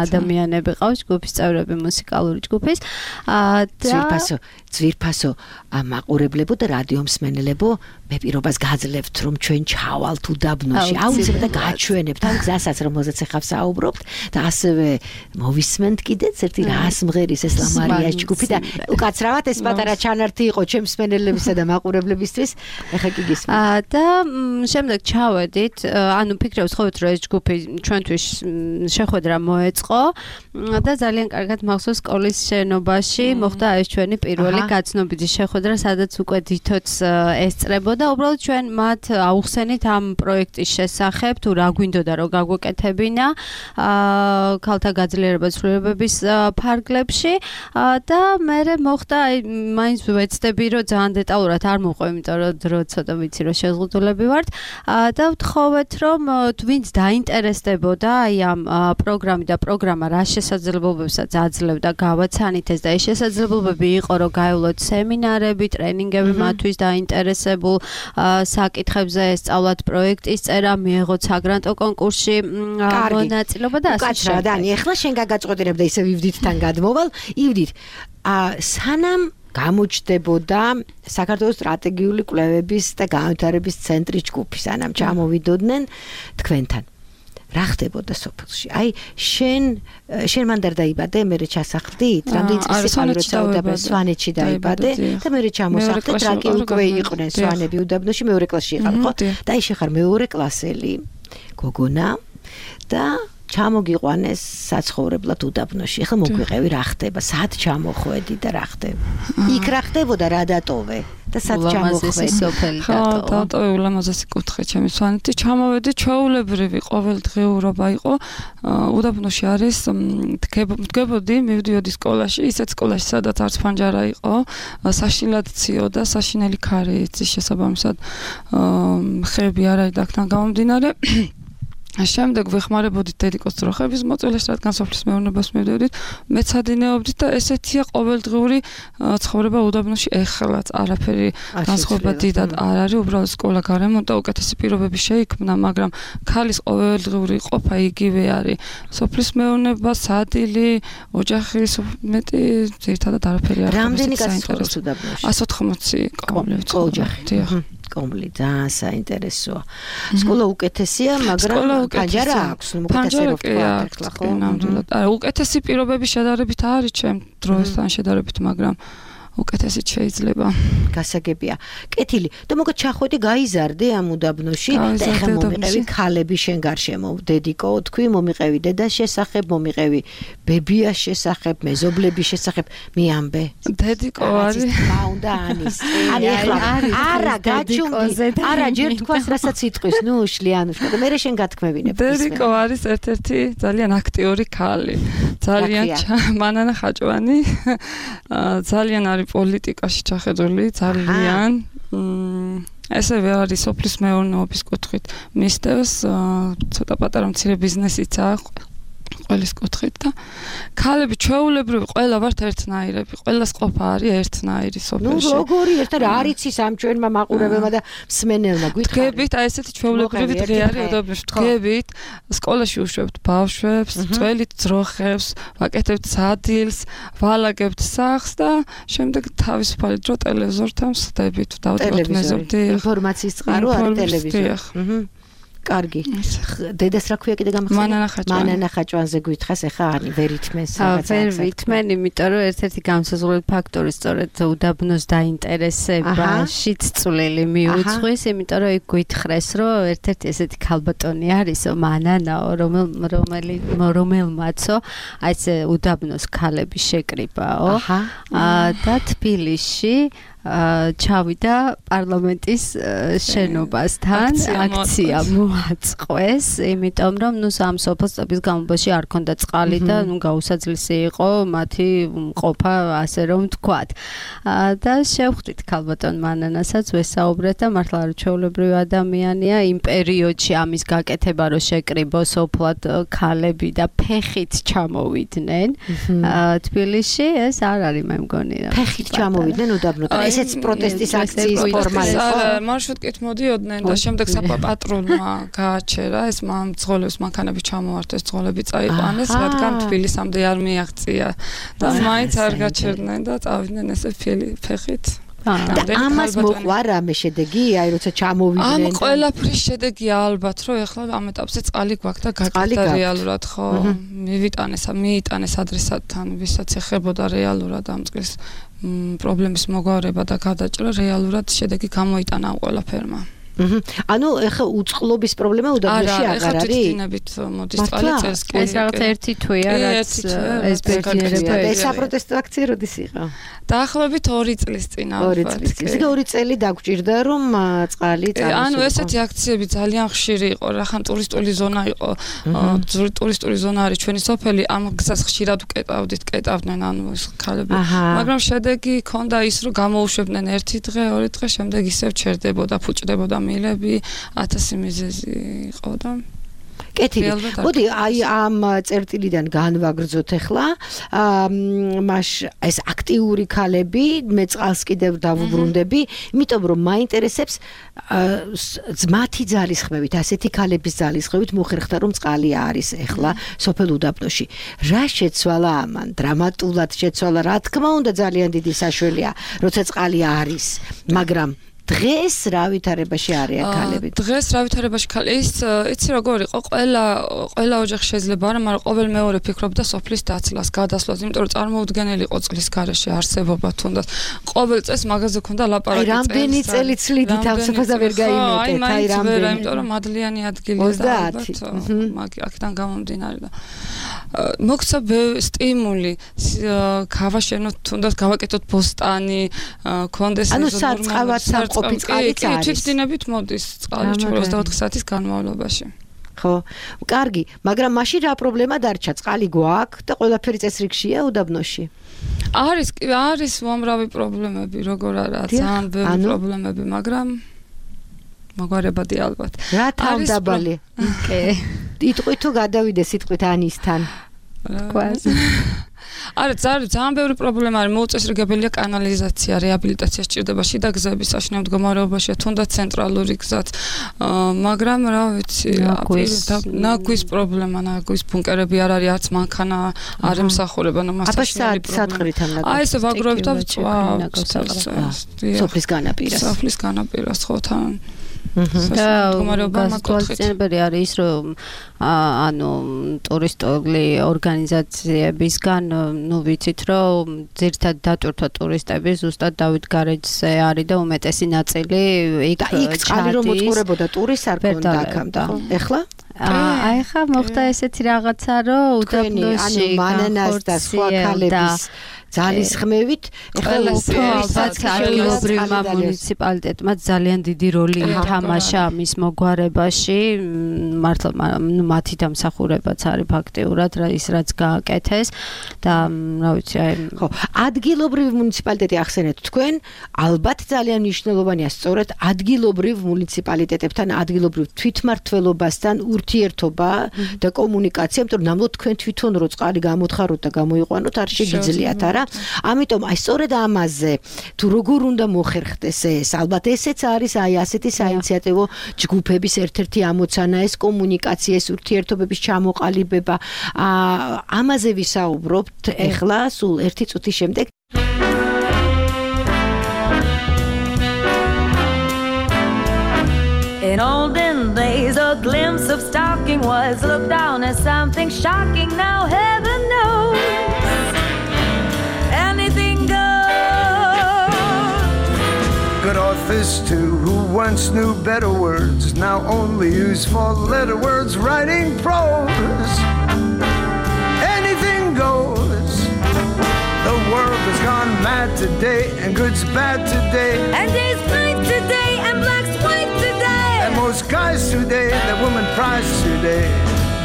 ადამიანები ყავს ჯგუფის წევრები მუსიკალური ჯგუფის და ძვირფასო მაყურებლებო და რადიო მსმენელებო მე პირობას გაძლევთ რომ ჩვენ ჩავალთ უდაბნოში აუცილებლად და გაჩვენებთ ამ გზასაც რომელზეც ახლა საუბრობთ და ასევე მოვისმენთ კიდეც ერთი რას მღერის ეს ლამარიას ჯგუფი და უკაცრავად ეს პატარა ჩანართი იყო ჩემს მსმენელებისა და მაყურებლებისთვის ახლა კი გისმენთ და შემდეგ ჩავედით ანუ ფიქრობს ხოვეთ რომ ეს ჯგუფი ჩვენთვის შეხვედრა მოეწყო და ძალიან კარგად მახსოვს სკოლის შენობაში მოხდა ეს ჩვენი პირველი გაცნობიτη შეხვედრა სადაც უკვე დითოც ესწრებოდა უბრალოდ ჩვენ მათ აუხსენით ამ პროექტის შესახებ თუ რა გვინდოდა რომ გაგვეკეთებინა ქალთა გაძლიერება ცვლილებების ფარგლებში და მე მოხდა მაინც ვეცდები რომ ძალიან დეტალურად არ მოყვე იმიტომ რომ დრო ცოტა ვიცი რომ შეზღუდულები ვართ და ვთხოვეთ რომ ვინც დაინტერესდებოდა აი ამ პროგრამით და პროგრამა რა შესაძლებლობებსაც აძლევდა გავაცანით ეს და ეს შესაძლებლობები იყო რომ გაევლოთ სემინარები, ტრენინგები მათთვის დაინტერესებულ საკითხებზე ესწავლათ პროექტის წერა, მიეღოთ საგრანტო კონკურსში მონაწილეობა და ასე შემდეგ. დანი, ახლა შენ გაგაწყვეტინებ და ისე ივდითთან გადმოვალ. ივდით, სანამ გამოჩნდებოდა საქართველოს სტრატეგიული კვლევების და განვითარების ცენტრის ჯგუფი, სანამ ჩამოვიდოდნენ თქვენთან. რა ხდებოდა სოფელში? აი შენ მანდ არ დაიბადე, მერე ჩასახლდით, რამდენი წელი იყო როცა უდაბნოში სვანეთში დაიბადე და მერე ჩამოსახლდით, რაკი უკვე იყვნენ სვანები უდაბნოში, მეორე კლასში იყავ, ხო? და აი შეხარ მეორე კლასელი გოგონა და ჩამოგიყვანეს საცხოვრებლად უდაბნოში. ახლა მოგვიყევი რა ხდება? სად ჩამოხვედი და რა ხდება? იქ რა ხდებოდა, რა დატოვე? და სად ჩამოხვედი? სოფელი დატოვე ულამაზესი კუთხე ჩემი სვანეთი. ჩამოვედი ჩვეულებრივი ყოველდღიურობა იყო. უდაბნოში არის დგებოდი, მივდიოდი სკოლაში, ისეთ სკოლაში, სადაც არც ფანჯარა იყო, საშინლად ციოდა, საშინელი ქარი იცის შესაბამისად ხეები არ არის აქთან გამომდინარე. შემდეგ ვეხმარებოდით დედიკოს ძროხების მოწველეს, რადგან სოფლის მეურნეობას მივდევდით, მეცადინეობდით და ესეთია ყოველდღიური ცხოვრება უდაბნოში ეხლაც არაფერი განსხვავება დიდად არ არის, უბრალოდ სკოლა გარემონტა, უკეთესი პირობები შეიქმნა, მაგრამ ქალის ყოველდღიური ყოფა იგივე არის. სოფლის მეურნეობა, სადილი, ოჯახი მეტი ძირითადად არაფერი არ არის. რამდენი კაცი ცხოვრობს უდაბნოში? 180 კომლივით. ოჯახი. კომბლი ძალიან საინტერესოა. სკოლა უკეთესია, მაგრამ პანჯარა აქვს, უკეთესია ხო? ნამდვილად. არა, უკეთესი პირობები შედარებით არის ჩემ დროებთან შედარებით, მაგრამ უკეთესიც შეიძლება. გასაგებია. კეთილი, და მოგეთ ჩახვედი გაიზარდე ამ უდაბნოში და ეხლა მომიყევი ქალები შენ გარშემო. დედიკო, თქვი მომიყევი დედას შესახებ, მომიყევი ბებიას შესახებ, მეზობლების შესახებ, მიამბე. დედიკო არის. მაუნდა ანის. არის ეხლა. არა, გაჩუმდი. არა, ჯერ თქვას რასაც იტყვის, ნუ შლიანუშკა და მე შენ გათქმევინებ. დედიკო არის ერთ-ერთი ძალიან აქტიური ქალი. ძალიან მანანა ხაჭვანი. ძალიან არის პოლიტიკაში ჩახედული ძალიან ესევე არის სოფლის მეურნეობის კუთხით მისდევს ცოტა პატარა მცირე ბიზნესიც აქვს ყველის კუთხით და ქალები ჩვეულებრივი ყველა ვართ ერთნაირები ყველას ყოფა არის ერთნაირი სოფელში ნუ როგორი ერთად არ იცის ამ ჩვენმა მაყურებელმა და მსმენელმა გითხარით დგებით აი ესეთი ჩვეულებრივი დღე არის უდაბნოში დგებით სკოლაში უშვებთ ბავშვებს წველით ძროხებს ვაკეთებთ სადილს ვალაგებთ სახლს და შემდეგ თავისუფალი დრო ტელევიზორთან ვსდებით დავწერთ მეზობდი ინფორმაციის წყარო არის ტელევიზორი კარგი. დედას რა ქვია კიდე გამახსენე? მანანა ხაჭვანზე გვითხრას ეხა ანი ვერ ითმენს რაღაცა. ვერ ვითმენ, იმიტომ რომ ერთ-ერთი გამსაზღვრელი ფაქტორი სწორედ უდაბნოს დაინტერესებაშიც წვლილი მიუძღვის, იმიტომ რომ იქ გვითხრეს, რომ ერთ-ერთი ესეთი ქალბატონი არისო, მანანაო, რომელმაცო აი ეს უდაბნოს ქალები შეკრიბაო და თბილისში ჩავიდა პარლამენტის შენობასთან აქცია მოაწყვეს, იმიტომ რომ ნუ სამ სოფლების გამობაში არ ქონდა წყალი და ნუ გაუსაძლისი იყო მათი ყოფა, ასე რომ ვთქვათ. და შევხვდით ქალბატონ მანანასაც ვესაუბრეთ და მართლა ჩვეულებრივი ადამიანია იმ პერიოდში ამის გაკეთება რომ შეკრიბო სოფლად ქალები და ფეხით ჩამოვიდნენ თბილისში ეს არ არის მე მგონი რა. ფეხით ჩამოვიდნენ უდაბნოდან ესეც პროტესტის აქციის ფორმა იყო. მარშრუტკით მოდიოდნენ და შემდეგ საპატრონმა გააჩერა ეს მძღოლებს მანქანები ჩამოართეს, ძღოლები წაიყვანეს, რადგან თბილისამდე არ მიაღწია და მაინც არ გაჩერდნენ და წავიდნენ ესე ფეხით. და ამას მოყვა რამე შედეგი, აი როცა ჩამოვიდნენ. ამ ყველაფრის შედეგი ალბათ, რომ ეხლა ამ ეტაპზე წყალი გვაქვს და გაკეთდა რეალურად, ხო? მიიტანეს ადრესატთან, ვისაც ეხებოდა რეალურად ამ წყლის პრობლემის მოგვარება და გადაჭრა რეალურად შედეგი გამოიტანა ამ ყველაფერმა. ანუ ეხა უწყლობის პრობლემა უდაბნოში აღარ არის? ეხა თვითინებით მოდის წყალი წელს კი. ეს რაღაც ერთი თვეა, რაც ეს ბედნიერება. ეს საპროტესტო აქცია როდის იყო? დაახლოებით 2 წლის წინ ალბათ. 2 წლის. 2 წელი დაგჭირდა რომ წყალი წავისულიყო. ანუ ესეთი აქციები ძალიან ხშირი იყო, რახან ტურისტული ზონა იყო. ტურისტული ზონა არის ჩვენი სოფელი, ამ გზას ხშირად კეტავდნენ ანუ ეს ქალები. მაგრამ შედეგი ქონდა ის, რომ გამოუშვებდნენ ერთი დღე, 2 დღე, შემდეგ ისევ ჩერდებოდა, ფუჭდებოდა მილები 1000 მიზეზი იყო და კეთილი. მოდი აი ამ წერტილიდან განვაგრძოთ ახლა. მას ეს აქტიური ქალები, მე წყალს კიდევ დავუბრუნდები, იმიტომ რომ მაინტერესებს მათი ძალისხმევით, ასეთი ქალების ძალისხმევით მოხერხდა რომ წყალი არის ახლა სოფელ უდაბნოში. რა შეცვალა ამან? დრამატულად შეცვალა, რა თქმა უნდა ძალიან დიდი საშუალია, როცა წყალი არის, მაგრამ დღეს რა ვითარებაში არიან ქალები? დღეს რა ვითარებაში ქალები? ის იცი როგორ იყო? ყველა ოჯახი შეიძლება არა, მაგრამ ყოველ მეორე ფიქრობდა სოფლის დაცლას, გადასვლას, იმიტომ რომ წარმოუდგენელი იყო წყლის გარეშე არსებობა თუნდაც. ყოველ წელს მაგაზე ქონდა ლაპარაკი. რამდენი წელი ცლიდით თავსაფარს და ვერ გაიმეტეთ? აი რამდენი? იმიტომ რომ მადლიანი ადგილია და ალბათ აქედან გამომდინარე და მოგცა სტიმული გავაშენოთ თუნდაც გავაკეთოთ ბოსტანი, კონდეს ანუ საწყავად ყოფი წყალიც არის. თვითდინებით მოდის წყალი 24 საათის განმავლობაში. ხო, კარგი, მაგრამ მაშინ რა პრობლემა დარჩა? წყალი გვაქვს და ყველაფერი წესრიგშია უდაბნოში? არის უამრავი პრობლემები, როგორ არა, ძალიან ბევრი პრობლემები, მაგრამ მოგვარებადი ალბათ. რა თავდაბალი? კი. იტყვით თუ გადავიდე სიტყვით ანისთან? კვაზი. არა, ძალიან ბევრი პრობლემა არის. მოუწესრიგებელია კანალიზაცია, რეაბილიტაცია სჭირდება შიდა გზების საშინაო მდგომარეობაში, თუნდაც ცენტრალური გზაც. მაგრამ რა ვიცი, ნაგვის პრობლემა, ნაგვის ბუნკერები არ არის, არც მანქანა არ ემსახურება, მასაშინაო პრობლემა. აი ესე ვაგროვებ და ვწვავ. სოფლის განაპირას. სოფლის განაპირას ხო თან. გასწავლებელი არის ის, რომ ანუ ტურისტული ორგანიზაციებისგან, ნუ ვიცით, რომ ძირთად დატვირთვა ტურისტები ზუსტად დავით გარეჯზე არის და უმეტესი ნაწილი იქ წყალი რომ მოწყურებოდა ტურის არ ქონდა აქამდე. ეხლა? აი ხა მოხდა ესეთი რაღაცა, რომ უდაბნოში მანანას და სხვა ქალების ძალის ხმევით ადგილობრივმა მუნიციპალიტეტმა ძალიან დიდი როლი ითამაშა მის მოგვარებაში. მართლა მათი დამსახურებაც არის ფაქტიურად ის რაც გააკეთეს და რა ვიცი აი ხო ადგილობრივი მუნიციპალიტეტი ახსენეთ თქვენ ალბათ ძალიან მნიშვნელოვანია სწორედ ადგილობრივ მუნიციპალიტეტებთან ადგილობრივ თვითმმართველობასთან ურთიერთობა და კომუნიკაცია, იმიტომ რომ ნამდვილად თქვენ თვითონ რო წყალი გამოთხაროთ და გამოიყვანოთ არ შეგიძლიათ არა? ამიტომ აი სწორედ ამაზე თუ როგორ უნდა მოხერხდეს ეს ალბათ ესეც არის აი ასეთი საინიციატივო ჯგუფების ერთ-ერთი ამოცანა ეს კომუნიკაცია ეს ურთიერთობების ჩამოყალიბება ამაზე ვისაუბრობთ ეხლა სულ ერთი წუთის შემდეგ In olden days a glimpse of stalking was looked down as something shocking now heaven knows good authors too, who once knew better words, now only use four-letter words writing prose. Anything goes. The world has gone mad today, and good's bad today, and day's night today, and black's white today, and most guys today, that woman prize today,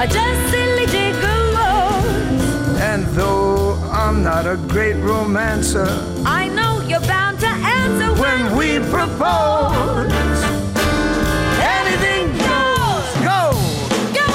are just silly gigolos. And though I'm not a great romancer, I know you're bound to answer when we propose. Anything goes, go, go.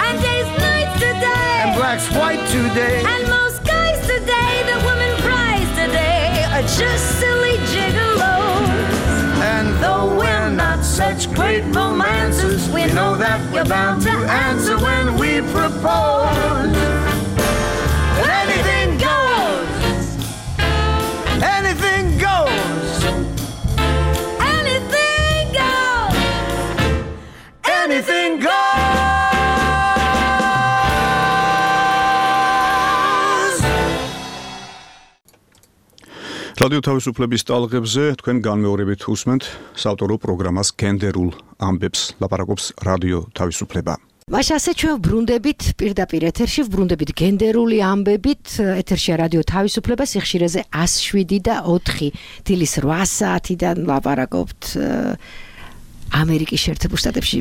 And days nights today, and black's white today, and most guys today, the women prize today, are just silly gigolos. And though we're not such great romancers, we know that we're bound to answer when we propose. Anything goes. Anything goes. Anything goes. Anything goes. რადიო თავისუფლების ტალღებზე თქვენ განმეორებით უსმენთ საავტორო პროგრამას გენდერულ ამბებს ლაპარაკობს რადიო თავისუფლება. მაშ ასე ჩვენ ვბრუნდებით პირდაპირ ეთერში ვბრუნდებით გენდერული ამბებით ეთერშია რადიო თავისუფლება სიხშირეზე 107 და 4 დილის 8 საათიდან ლაპარაკობთ ამერიკის შეერთებულ შტატებში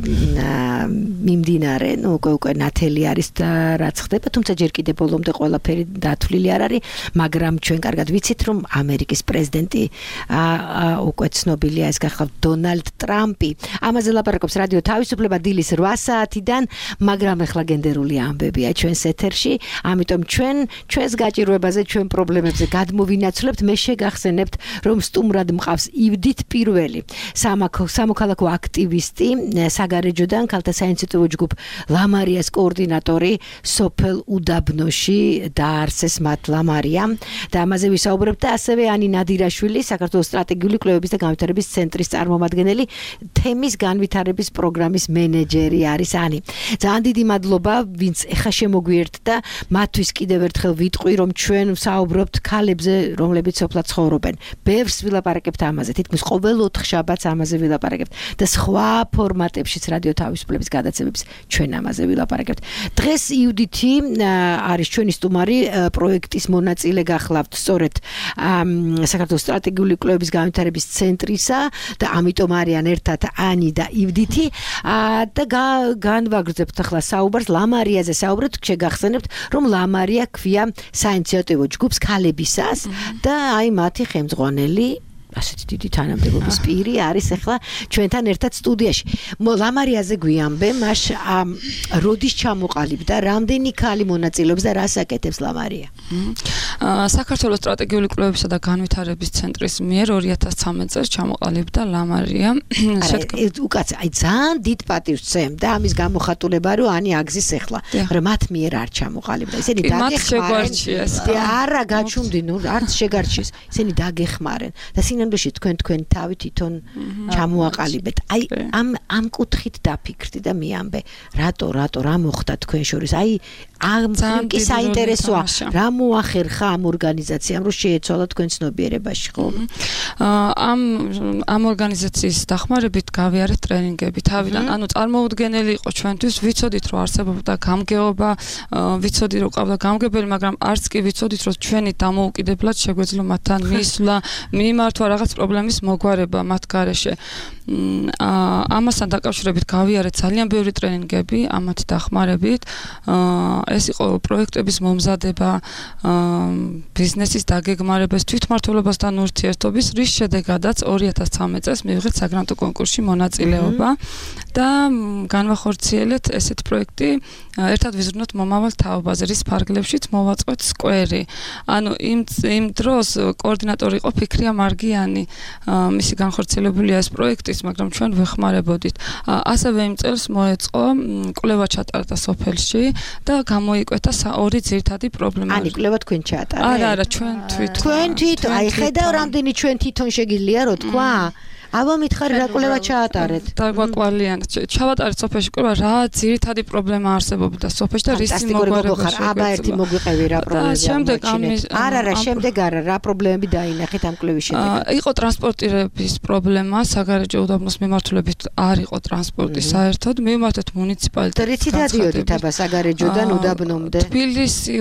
მიმდინარე, ნუ უკვე ნათელი არის და რაც ხდება, თუმცა ჯერ კიდევ ბოლომდე ყველაფერი დათვლილი არ არის, მაგრამ ჩვენ კარგად ვიცით, რომ ამერიკის პრეზიდენტი უკვე ცნობილია, ეს გახლავთ დონალდ ტრამპი. ამაზე ლაპარაკობს რადიო თავისუფლება დილის 8 საათიდან, მაგრამ ახლა გენდერული ამბებია ჩვენს ეთერში, ამიტომ ჩვენს გაჭირვებაზე, ჩვენ პრობლემებზე გადმოვინაცვლებთ, მე შეგახსენებთ, რომ სტუმრად მყავს ივდით პირველი, სამოქალაქო აქტივისტი საგარეჯოდან ქალთა საინიციატივო ჯგუფ ლამარიას კოორდინატორი სოფელ უდაბნოში დაარსეს მათ ლამარია და ამაზე ვისაუბრებთ და ასევე ანი ნადირაშვილი საქართველოს სტრატეგიული კვლევების და განვითარების ცენტრის წარმომადგენელი თემის განვითარების პროგრამის მენეჯერი არის ანი. ძალიან დიდი მადლობა ვინც ეხა შემოგვიერთდა მათთვის კიდევ ერთხელ ვიტყვი რომ ჩვენ ვსაუბრობთ ქალებზე რომლებიც სოფლად ცხოვრობენ. ბევრს ვილაპარაკებთ ამაზე თითქმის ყოველ 4 შაბათს ამაზე ვილაპარაკებთ და სხვა ფორმატებშიც რადიო თავისუფლების გადაცემებს ჩვენ ამაზე ვილაპარაკებთ. დღეს იუდითი არის ჩვენი სტუმარი, პროექტის მონაწილე გახლავთ სწორედ საქართველოს სტრატეგიული კვლევების განვითარების ცენტრისა და ამიტომ არიან ერთად ანი და იუდითი და განვაგრძებთ ახლა საუბარს ლამარიაზე საუბრობთ, შეგახსენებთ, რომ ლამარია ქვია საინიციატივო ჯგუფს ქალებისას და აი მათი ხელმძღვანელი ასეთი დიდი თანამდებობის პირი არის ახლა ჩვენთან ერთად სტუდიაში. ლამარიაზე გვიამბე, მას როდის ჩამოყალიბდა, რამდენი ქალი მონაწილეობს და რას აკეთებს ლამარია? საქართველოს სტრატეგიული კვლევებისა და განვითარების ცენტრის მიერ 2013 წელს ჩამოყალიბდა ლამარია. უკაც აი ძალიან დიდ პატივს წემ და ამის გამოხატულება რომ ანი აგზის ახლა, მაგრამ მათ მიერ არ ჩამოყალიბდა. ისინი დაგეხმარენ. არა გაჩუმდი, ნუ არც შეგარჩიეს. ისინი დაგეხმარენ და სინამდვილეში თქვენ თავი თვითონ ჩამოაყალიბეთ. აი ამ კუთხით დაფიქრდი და მიამბე, რატო რა მოხდა თქვენ შორის? აი ამ კი საინტერესოა. რა მოახერხა ამ ორგანიზაციამ რომ შეეცვალა თქვენ ცნობიერებაში, ხო? ამ ორგანიზაციის დახმარებით გავიარეთ ტრენინგები თავიდან. ანუ წარმოუდგენელი იყო ჩვენთვის, ვიცოდით რომ არსებობდა გამგეობა, ვიცოდი რომ ყავდა გამგებელი, მაგრამ არც კი ვიცოდით რომ ჩვენი დამოუკიდებლად შეგვეძლო მათთან მისვლა, მიმართვა რაღაც პრობლემის მოგვარება მათ გარეშე. ამასთან დაკავშირებით გავიარეთ ძალიან ბევრი ტრენინგები ამათი დახმარებით. ეს იყო პროექტების მომზადება, ბიზნესის დაგეგმარებას, თვითმმართველობასთან ურთიერთობის, რის შედეგადაც 2013 წელს მივიღეთ საგრანტო კონკურსში მონაწილეობა და განვახორციელეთ ესეთ პროექტი, ერთად ვიზრუნოთ მომავალ თაობაზე, რის ფარგლებშიც მოვაწყვეთ სკვერი. ანუ იმ დროს კოორდინატორი იყო ფიქრია მარგიანი, მისი განხორციელებულია ეს პროექტის, მაგრამ ჩვენ ვეხმარებოდით. ასევე იმ წელს მოეწყო კვლევა ჩატარდა სოფელში და გამოიკვეთა ორი ძირითადი პრობლემა. ანი კვლევა თქვენ ჩაატარეთ? არა, ჩვენ თვითონ. თქვენ თვითონ, აი ხედავ რამდენი ჩვენ თვითონ შეგიძლია რო თქვა? აბა მითხარი რა კვლევა ჩაატარეთ? დაგვაკვალიანეთ. ჩავატარეთ სოფელში კვლევა, რა ძირითადი პრობლემა არსებობდა სოფელში და რისი მოგვარება შეგვეძლო. აბა ერთი მოგვიყევი რა პრობლემები. შემდეგ შემდეგ რა პრობლემები დაინახეთ ამ კვლევის შედეგად? იყო ტრანსპორტირების პრობლემა, საგარეჯო უდაბნოს მიმართულებით არ იყო ტრანსპორტი საერთოდ. მივმართეთ მუნიციპალიტეტს. რითი დადიოდით აბა საგარეჯოდან უდაბნომდე? თბილისი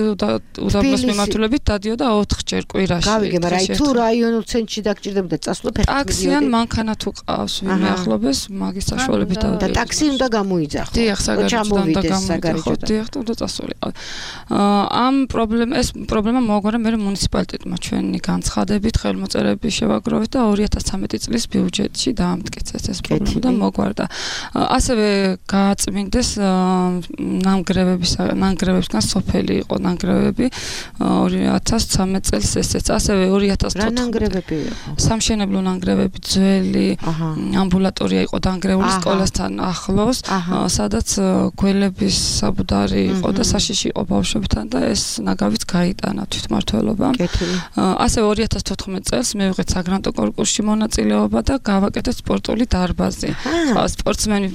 უდაბნოს მიმართულებით დადიოდა 4 ჯერ კვირაში. გავიგე, მაგრამ აი თუ რაიონულ ცენტრში დაგჭირდებოდა წასვლა ფეხით. ტაქსიან მანქანა თუ ყავს ვინმე ახლობეს, მაგის საშუალებით და ტაქსი უნდა გამოიძახო. დიახ, საგარეჯოდან და გამოიძახო. დიახ, უნდა წასულიყო. ამ პრობლემა მოგვარა მე მუნიციპალიტეტმა ჩვენი განცხადებით, ხელმოწერების შევაგროვეთ და 2013 წლის ბიუჯეტში დაამტკიცეს ეს პრობლემა და მოგვარდა. ასევე გააწმინდეს ნანგრევებისგან სოფელი იყო ნანგრევები 2013 წელს ესეც. ასევე 2014 რა ნანგრევები იყო? სამშენებლო ნანგრევები, ძველი ამბულატორია იყო დანგრეული სკოლასთან ახლოს, სადაც გველების საბუდარი იყო და საშიში იყო ბავშვებთან და ეს ნაგავიც გაიტანა თვითმმართველობა. ასევე 2014 წელს მივიღეთ საგრანტო კონკურსში მონაწილეობა და გავაკეთეთ სპორტული დარბაზი. სპორტსმენი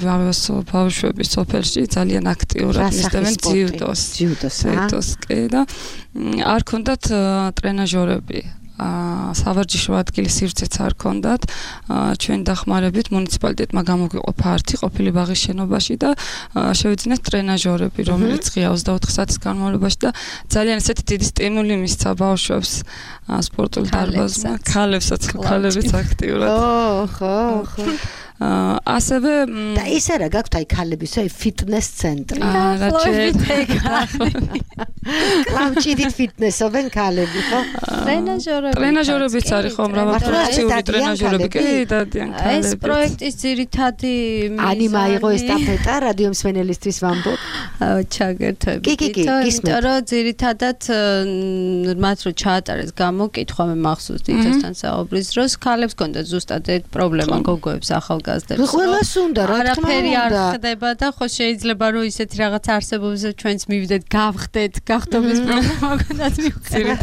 ბავშვები სოფელში ძალიან აქტიურად მისდევენ ძიუდოს კი და არ ქონდათ ტრენაჟორები. სავარჯიშო ადგილი სივრცეც არ ქონდათ. ჩვენ დახმარებით მუნიციპალიტეტმა გამოგვიყოფა ართი ყოფილი ბაღის შენობაში და შევიძინეთ ტრენაჟორები, რომელიც ღია 24 საათის განმავლობაში და ძალიან ესეთი დიდი სტიმული მისცა ბავშვებს სპორტულ დარბაზმა, ქალებიც აქტიურად. ხო. ასევე და ის არა გაქვთ აი ქალების აი ფიტნეს ცენტრი. კლავჭიდით ფიტნესობენ ქალები, ხო? ტრენაჟორებიც არის ხო, მრავალფუნქციური ტრენაჟორები კი დადიან ქალები. ეს პროექტის ძირითადი ანი მაიღო ესტაფეტა რადიო მსმენელისთვის ვამბობ. ჩაგერთვებით. იმიტომ რომ ძირითადად მათ რო ჩაატარეს გამოკითხვა მე მახსოვს თითოსთან საუბრის დროს ქალებს ჰქონდათ ზუსტად ეგ პრობლემა გოგოებს ახალგაზრდებს. ყველას უნდა რა თქმა უნდა. არაფერი არ ხდება და ხო შეიძლება რომ ისეთი რაღაც არსებობს ჩვენც მივიდეთ გავხდეთ გახდომის პრობლემა გქონდათ მივხვდეთ.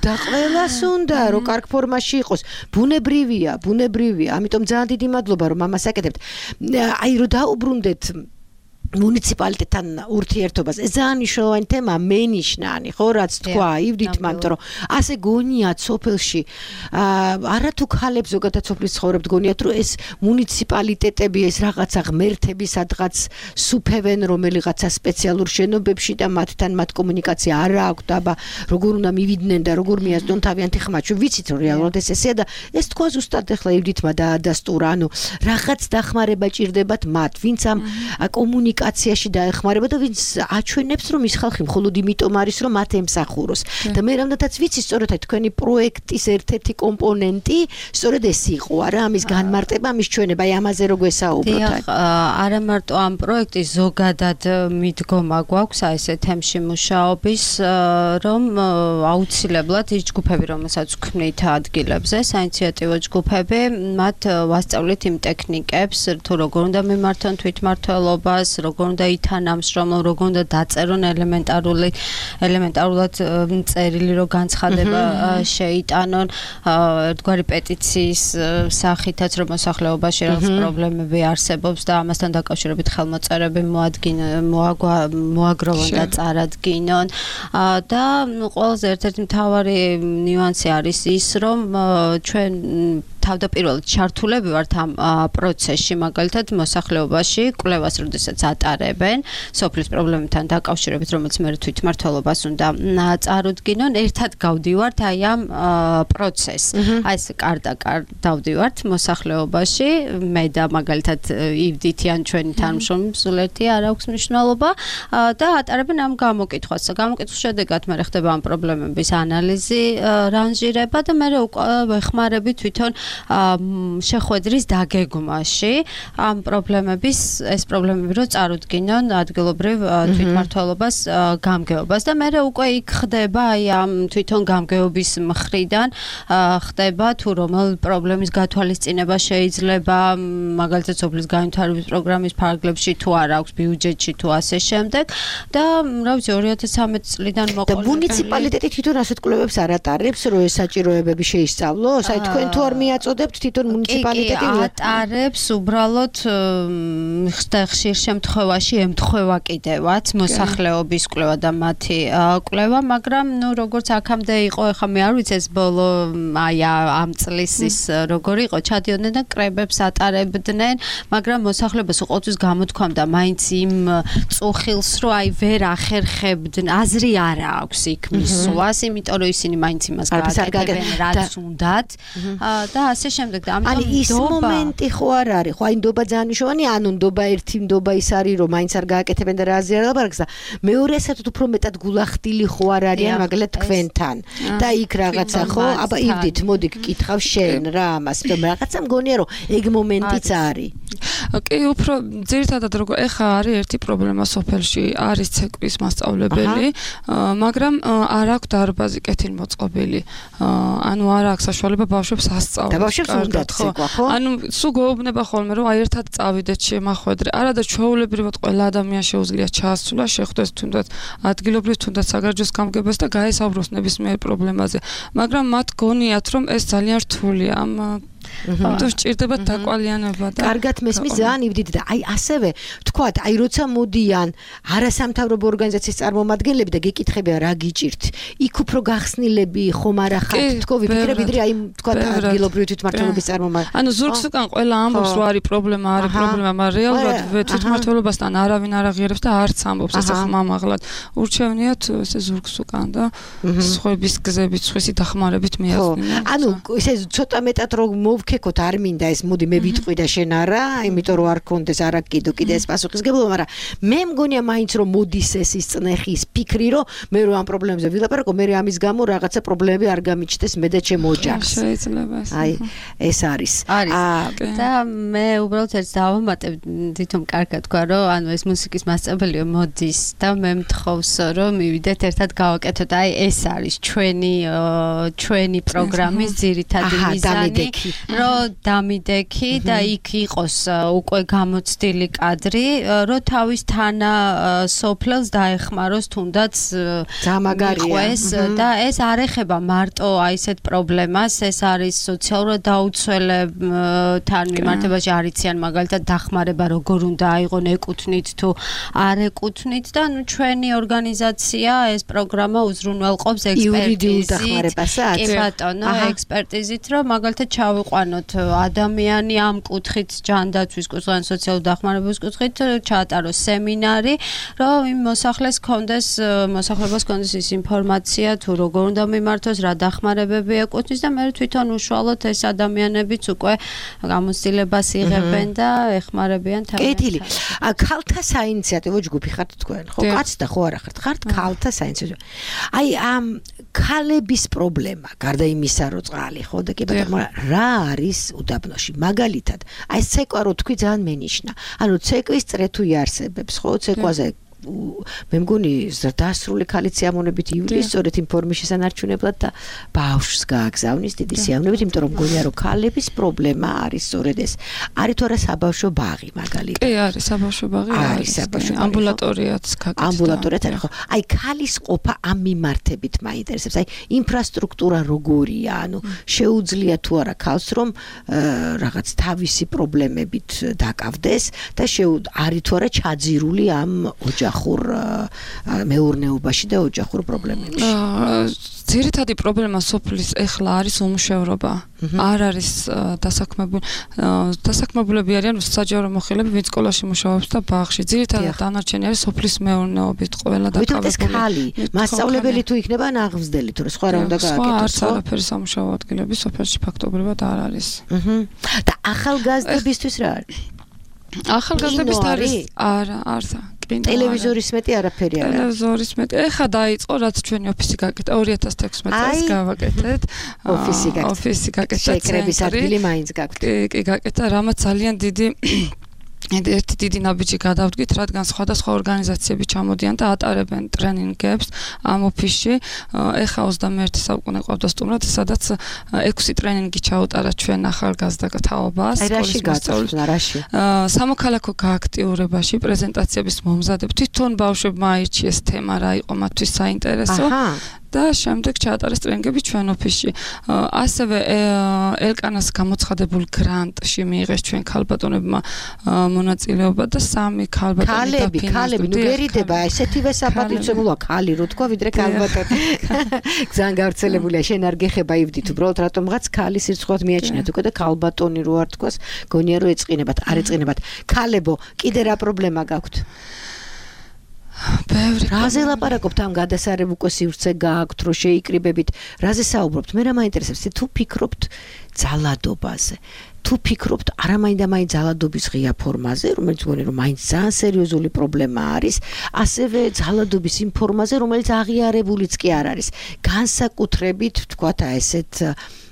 და ყველას უნდა რომ კარგ ფორმაში იყოს. ბუნებრივია, ამიტომ ძალიან დიდი მადლობა რომ ამას აკეთებთ. აი რომ დაუბრუნდეთ მუნიციპალიტეტთან ურთიერთობას. ეს ძალიან მნიშვნელოვანი თემა, მენიშნანი, ხო, რაც თქვა ივდითმა, იმიტომ რომ ასე გონიათ სოფელში, არათუ ქალებს ზოგადად სოფლის ცხოვრებთ გონიათ, რომ ეს მუნიციპალიტეტები, ეს რაღაცა ღმერთები სადღაც სუფევენ რომელიღაცა სპეციალურ შენობებში და მათთან მათ კომუნიკაცია არ აქვს და როგორ უნდა მივიდნენ და როგორ მიასწრონ თავიანთი ხმა. ჩვენ ვიცით რომ რეალურად ეს ესეა და ეს თქვა ზუსტად ახლა ივდითმა დაადასტურა, ანუ რაღაც დახმარება ჭირდებათ მათ, ვინც ამ კომუნიკაციაში დაეხმარება და ვინც აჩვენებს რომ ის ხალხი მხოლოდ იმიტომ არის რომ მათ ემსახუროს. და მე რამდენადაც ვიცი სწორედ თქვენი პროექტის ერთ-ერთი კომპონენტი სწორედ ეს იყო, არა ამის განმარტება, ამის ჩვენება, აი ამაზე რო გვესაუბროთ. არა მარტო ამ პროექტის ზოგადად მიდგომა გვაქვს აი ესე თემში მუშაობის, რომ აუცილებლად ის ჯგუფები, რომელსაც ვქმნით ადგილებზე, საინიციატივო ჯგუფები, მათ ვასწავლით იმ ტექნიკებს, თუ როგორ უნდა მიმართონ თვითმმართველობას, როგორ უნდა ითანამშრომლონ, როგორ უნდა დაწერონ ელემენტარულად წერილი, რომ განცხადება შეიტანონ, ერთგვარი პეტიციის სახითაც, რომ მოსახლეობაში რაღაც პრობლემები არსებობს და ამასთან დაკავშირებით ხელმოწერები მოაგროვონ და წარადგინონ. და ყველაზე ერთ-ერთი მთავარი ნიუანსი არის ის, რომ ჩვენ თავდაპირველად ჩართულები ვართ ამ პროცესში, მაგალითად მოსახლეობაში კვლევას როდესაც ატარებენ სოფლის პრობლემებთან დაკავშირებით, რომელიც მე თვითმმართველობას უნდა წარუდგინონ, ერთად გავდივართ აი ამ პროცესს. აი ეს კარ-და-კარ დავდივართ მოსახლეობაში, მე და მაგალითად ივდითი ან ჩვენი თანამშრომლები სულ ერთი არ აქვს მნიშვნელობა და ატარებენ ამ გამოკითხვას. გამოკითხვის შედეგად მე ხდება ამ პრობლემების ანალიზი, რანჟირება და მე უკვე ვეხმარები თვითონ შეხვედრის დაგეგმვაში ამ პრობლემების ეს პრობლემები რო წარუდგინონ ადგილობრივ თვითმმართველობას გამგეობას და მე უკვე იქ ხდება აი ამ თვითონ გამგეობის მხრიდან ხდება თუ რომელ პრობლემის გათვალისწინება შეიძლება მაგალითად სოფლის განვითარების პროგრამის ფარგლებში თუ არ აქვს ბიუჯეტში თუ ასე შემდეგ და რა ვიცი 2013 წლიდან მოყოლებული და მუნიციპალიტეტი თვითონ ასეთ კვლევებს არ ატარებს რომ ეს საჭიროებები შეისწავლოს აი თქვენ თუ არ მიაწოდებთ თვითონ მუნიციპალიტეტი ატარებს უბრალოდ ხშირ შემთხვევაში ემთხვევა კიდევაც მოსახლეობის კვლევა და მათი კვლევა მაგრამ ნუ როგორც აქამდე იყო ეხლა მე არ ვიცი ეს ბოლო აი ამ წლის ის როგორ იყო ჩადიოდნენ და კრებებს ატარებდნენ მაგრამ მოსახლეობას უყოთვის გამოთქვამდა მაინც იმ წუხილს რომ აი ვერ ახერხებდნენ აზრი არ აქვს იქ მისვლას იმიტომ რომ ისინი მაინც იმას გააკეთებენ რაც უნდათ და ასე შემდეგ და ამიტომ ის მომენტი ხო არ არის ხო აი ნდობა ძალიან მნიშვნელოვანია ანუ ნდობა ერთი ნდობა ის არის რომ მაინც არ გააკეთებენ და რა აზრი არ ლაპარაკს და მეორე საერთოდ უფრო მეტად გულახდილი ხო არ არიან მაგალითად თქვენთან და იქ რაღაცა ხო აბა ივდით მოდი გკითხავ შენ რა ამას და რაღაცა მგონია რომ ეგ მომენტიც არის კი უფრო ძირითადად როგორ ეხა არის ერთი პრობლემა სოფელში არის ცეკვის მასწავლებელი მაგრამ არ აქვს დარბაზი კეთილმოწყობილი ანუ არ აქვს საშუალება ბავშვებს ასწავლოს და ბავშვებს უნდა ცეკვა ხო ანუ სულ გვეუბნება ხოლმე რომ აი ერთად წავიდეთ შემახვედრე არა და ჩვეულებრივად ყველა ადამიანს შეუძლია ჩაასრულა შეხვდეს თუნდაც ადგილობრივ თუნდაც საგარეჯოს გამგებას და გაესაუბროს ნებისმიერ პრობლემაზე მაგრამ მათ გონიათ რომ ეს ძალიან რთულია ამ თუ სჭირდება დაკვალიანება და კარგად მესმის ძალიან ივდით და აი ასევე თქვათ აი როცა მოდიან არასამთავრობო ორგანიზაციის წარმომადგენლები და გეკითხებიან რა გიჭირთ იქ უფრო გახსნილები ხომ არა ხართ თქო ვიფიქრებ ვიდრე აი თქვათ ადგილობრივი თვითმმართველობის წარმომადგენლები ანუ ზურგს უკან ყველა ამბობს რომ არის პრობლემა მაგრამ რეალურად თვითმმართველობასთან არავინ არ აღიარებს და არც ამბობს ესე ხმამაღლად ურჩევნიათ ესე ზურგს უკან და სხვების გზებით სხვისი დახმარებით მიაწვდინონ ანუ ესე ცოტა მეტად რომ ვქეკოთ არ მინდა ეს მოდი მე ვიტყვი და შენ არა იმიტომ რომ არ კონდეს არა კიდე ეს პასუხისგებლობა მაგრამ მე მგონია მაინც რომ მოდის ეს ის წნეხის ფიქრი რომ მე რომ ამ პრობლემებზე ვილაპარაკო მე ამის გამო რაღაცა პრობლემები არ გამიჩნდეს მე და ჩემ ოჯახს შეიძლება აი ეს არის და მე უბრალოდ ერთ დავამატებ თვითონ კარგად თქვა რომ ანუ ეს მუსიკის მასწავლებელია მოდის და მე მთხოვს რომ მივიდეთ ერთად გავაკეთოთ აი ეს არის ჩვენი პროგრამის ძირითადი მიზანი რომ რომ დამიდექი და იქ იყოს უკვე გამოცდილი კადრი, რომ თავის თანა სოფლელს დაეხმაროს თუნდაც გამაგარია და ეს არ ეხება მარტო აი ესეთ პრობლემას, ეს არის სოციალურად დაუცველებთან მიმართებაში არიციან მაგალითად დახმარება როგორ უნდა აიღონ ეკუთვნით თუ არ ეკუთვნით და ნუ ჩვენი ორგანიზაცია ეს პროგრამა უზრუნველყოფს ექსპერტიზით. კი ბატონო, ექსპერტიზით რომ მაგალითად ჩავიყვანოთ ადამიანი ამ კუთხით ჯანდაცვის კუთხით, ან სოციალურ დახმარების კუთხით ჩაატაროს სემინარი, რომ იმ მოსახლეს კონდეს ის ინფორმაცია თუ როგორ უნდა მიმართოს, რა დახმარებები ეკუთვნის და მე თვითონ უშუალოდ ეს ადამიანებიც უკვე გამოცდილებას იღებენ და ეხმარებიან თავიანთ. კეთილი. ქალთა საინიციატივო ჯგუფი ხართ თქვენ, ხო? კაცი და ხო არა ხართ ქალთა საინიციატივო. აი ამ ქალების პრობლემა, გარდა იმისა, რომ წყალი ხო და კი ბატონო, რა არის უდაბნოში? მაგალითად, აი ცეკვა რო თქვი ძალიან მენიშნა. ანუ ცეკვის წრე თუ იარსებებს, ხო? ცეკვაზე მე მგონი დასრული ქალიც სიამოვნებით ივლისს სწორედ იმ ფორმის შესანარჩუნებლად და ბავშვს გააგზავნის დიდი სიამოვნებით, იმიტომ რომ მგონია რომ ქალების პრობლემა არის სწორედ ეს. არის თუ არა საბავშვო ბაღი მაგალითად? კი, არის საბავშვო ბაღი, არის ამბულატორიაც გაკეთდა. ამბულატორიაც არის ხო? აი ქალის ყოფა ამ მიმართებით მაინტერესებს. აი ინფრასტრუქტურა როგორია? ანუ შეუძლია თუ არა ქალს რომ რაღაც თავისი პრობლემებით დაკავდეს და არის თუ არა ჩაძირული ამ მეურნეობაში და ოჯახურ პრობლემებში. ძირითადი პრობლემა სოფლის ეხლა არის უმუშევრობა. არ არის დასაქმებულები არიან საჯარო მოხელეები, ვინც სკოლაში მუშაობს და ბაღში. ძირითადად დანარჩენი არის სოფლის მეურნეობით ყველა დაკავებული. ვიტყვით ეს ქალი, მასწავლებელი თუ იქნება ან აღზრდელი თუ სხვა რა უნდა გააკეთოს, ხო? არც არაფერი სამუშაო ადგილები სოფელში ფაქტობრივად არ არის. და ახალგაზრდებისთვის რა არის? ახალგაზრდების არის არა ტელევიზორის მეტი არაფერი არა. ტელევიზორის მეტი. ეხა დაიწყო რაც ჩვენი ოფისი გაკეთდა 2016 წელს გავაკეთეთ. ოფისი გაკეთდა. შეკრების ადგილი მაინც გაქვთ. კი, გაკეთდა, რამაც ძალიან ერთი დიდი ნაბიჯი გადავდგით, რადგან სხვადასხვა ორგანიზაციები ჩამოდიან და ატარებენ ტრენინგებს ამ ოფისში. ეხა 21 საუკუნე ყავდა სტუმრად, სადაც 6 ტრენინგი ჩაუტარა ჩვენ ახალგაზრდა თაობას. რაში გაწევთ, რაში? სამოქალაქო გააქტიურებაში, პრეზენტაციების მომზადებ. თვითონ ბავშვებმა აირჩიეს თემა, რა იყო მათთვის საინტერესო. და შემდეგ ჩაატარეს ტრენინგები ჩვენ ოფისში. ასევე ელკანას გამოცხადებულ გრანტში მიიღეს ჩვენ ქალბატონებმა მონაწილეობა და 3 ქალბატონი დაფინანსდა. ქალები, ნუ გერიდება, ესეთივე საპატივცემულოა ქალი რო თქვა, ვიდრე ქალბატონი. ძალიან გავრცელებულია, შენ არ გეხება ივდით, უბრალოდ რატომღაც ქალი სირცხვილად მიაჩნიათ უკვე და ქალბატონი რო არ თქვას, გონია რომ ეწყინებათ, არ ეწყინებათ. ქალებო, კიდე რა პრობლემა გაქვთ? რაზე ლაპარაკობთ ამ გადასარევ უკვე სივრცე გააქვთ რომ შეიკრიბებით, რაზე საუბრობთ? მე რა მაინტერესებს, თუ ფიქრობთ ძალადობაზე, თუ ფიქრობთ არამაინდა-მაინც ძალადობის ღია ფორმაზე, რომელიც მგონი რომ მაინც ძალიან სერიოზული პრობლემა არის, ასევე ძალადობის იმ ფორმაზე, რომელიც აღიარებულიც კი არ არის. განსაკუთრებით თქვათ ესეთ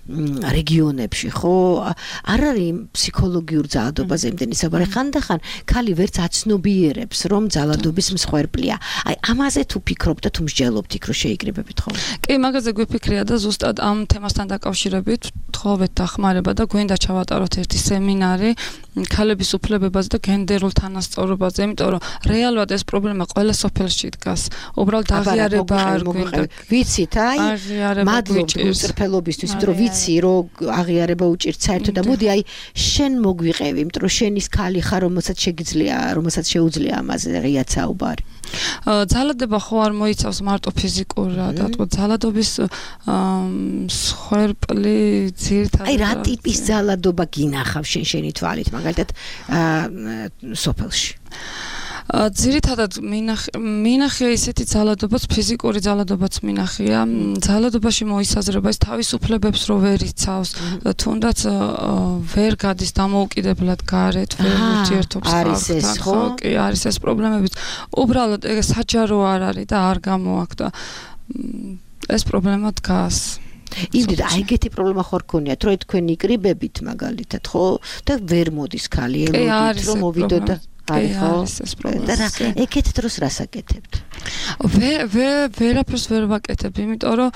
რეგიონებში, ხო? არ არის ფსიქოლოგიურ ძალადობაზე იმდენი საუბარი. ხანდახან ქალი ვერც აცნობიერებს, რომ ძალადობის მსხვერპლია. აი, ამაზე თუ ფიქრობთ და თუ მსჯელობთ იქ რომ შეიკრიბებით ხოლმე? კი, მაგაზე გვიფიქრია და ზუსტად ამ თემასთან დაკავშირებით თხოვეთ დახმარება და გვინდა ჩავატაროთ ერთი სემინარი ქალების უფლებებაზე და გენდერულ თანასწორობაზე, იმიტომ რომ რეალურად ეს პრობლემა ყველა სოფელში დგას. უბრალოდ აღიარება არ გვინდა. ვიცით, აი, მადლობთ გულწრფელობისთვის, იმიტომ რომ ვიცი რომ აღიარება უჭირთ საერთოდ და მოდი აი შენ მოგვიყევი, იმიტომ რომ შენის ქალი ხარ, რომელსაც შეუძლია ამაზე ღიად საუბარი. ძალადება ხო არ მოიცავს მარტო ფიზიკურად, რატო ძალადობის მსხვერპლი ძირითადად. აი რა ტიპის ძალადობა გინახავს შენი თვალით, მაგალითად სოფელში? ძირითადად მინახია ისეთი ძალადობაც, ფიზიკური ძალადობაც მინახია. ძალადობაში მოისაზრება ის თავისუფლებებს რო ვერ იცავს, თუნდაც ვერ გადის დამოუკიდებლად გარეთ, ვერ ურთიერთობს ხალხთან, ხო? კი, არის ეს პრობლემებიც. უბრალოდ ეს საჯარო არ არის და არ გამოაქვს და ეს პრობლემა დგას. იმდენ აი ეგეთი პრობლემა ხარ ქონიათ, რომ თქვენ იკრიბებით მაგალითად, ხო? და ვერ მოდის ქალი, ელოდით რომ მოვიდო და არის ეს პრობლემა. და ეგეთ დროს რას აკეთებთ? ვერაფერს ვერ ვაკეთებ, იმიტომ რომ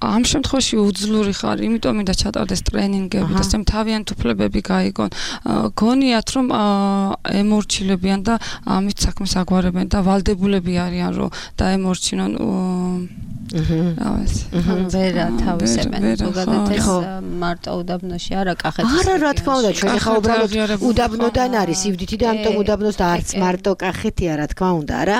ამ შემთხვევაში უძლური ხარ, იმიტომ მინდა ჩატარდეს ტრენინგები და სამ თავიანთ უფლებები გაიგონ. გონიათ რომ ემორჩილებიან და ამით საქმეს აგვარებენ და ვალდებულები არიან რომ დაემორჩინონ ვერა თავისებენ ზოგადად ეს მარტო უდაბნოში არა კახეთის არა რა თქმა უნდა ჩვენ ხა უბრალოდ უდაბნოდან არის ივდითი და ამიტომ უდაბნოს და არც მარტო კახეთია რა თქმა უნდა რა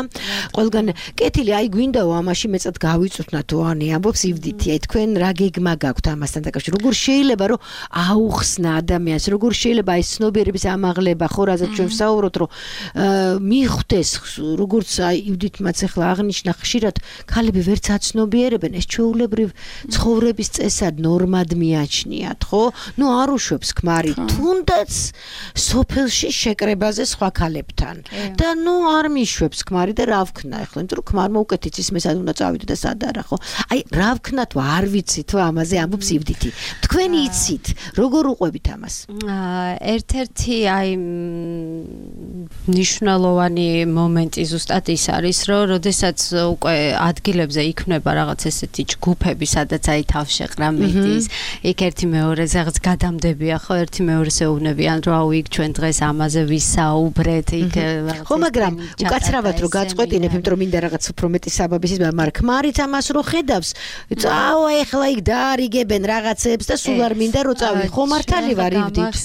ყველგან კეთილი აი გვინდაო ამაში მეწად გავიწვნა თუ ანი ამბობს ივდითი აი თქვენ რა გეგმა გაქვთ ამასთან დაკავშირებით როგორ შეიძლება რომ აუხსნა ადამიანს როგორ შეიძლება აი ცნობიერების ამაღლება ხო რაზეც ჩვენ ვსაუბრობთ რომ მიხვდეს როგორც აი ივდითმაც ახლა აღნიშნა ხშირად ქალები ვერც აცნობიერებენ ეს ჩვეულებრივ ცხოვრების წესად ნორმად მიაჩნიათ ხო ნუ არ უშვებს ქმარი თუნდაც სოფელში შეკრებაზე სხვა ქალებთან და ნუ არ მიშვებს ქმარი და რა ვქნა ახლა იმიტომ რომ ქმარმა უკეთ იცის მე სად უნდა წავიდე და სად არა ხო აი რა ვქნა თუ არ ვიცით თუ ამაზე ამბობს ივდითი თქვენ იცით როგორ უყვებით ამას ერთ-ერთი აი ნიშნულოვანი მომენტი ზუსტად ის არის რომ როდესაც უკვე ადგილებზე იქმნება რაღაც ესეთი ჯგუფები სადაც აი თავშეყრა მიდის იქ ერთი მეორეზე რაღაც გადამდებია ხო ერთი მეორეს ეუბნებიან რომ აუ იქ ჩვენ დღეს ამაზე ვისაუბრეთ იქ ხო მაგრამ უკაცრავად რომ გაწყვეტინებ იმიტომ რომ მინდა რაღაც უფრო მეტი საბაბის მაგრამ ქმარიც ამას რო ხედავს წავა ეხლა იქ დაარიგებენ რაღაცებს და სულ არ მინდა რომ წავი ხო მართალი ვარ ივდით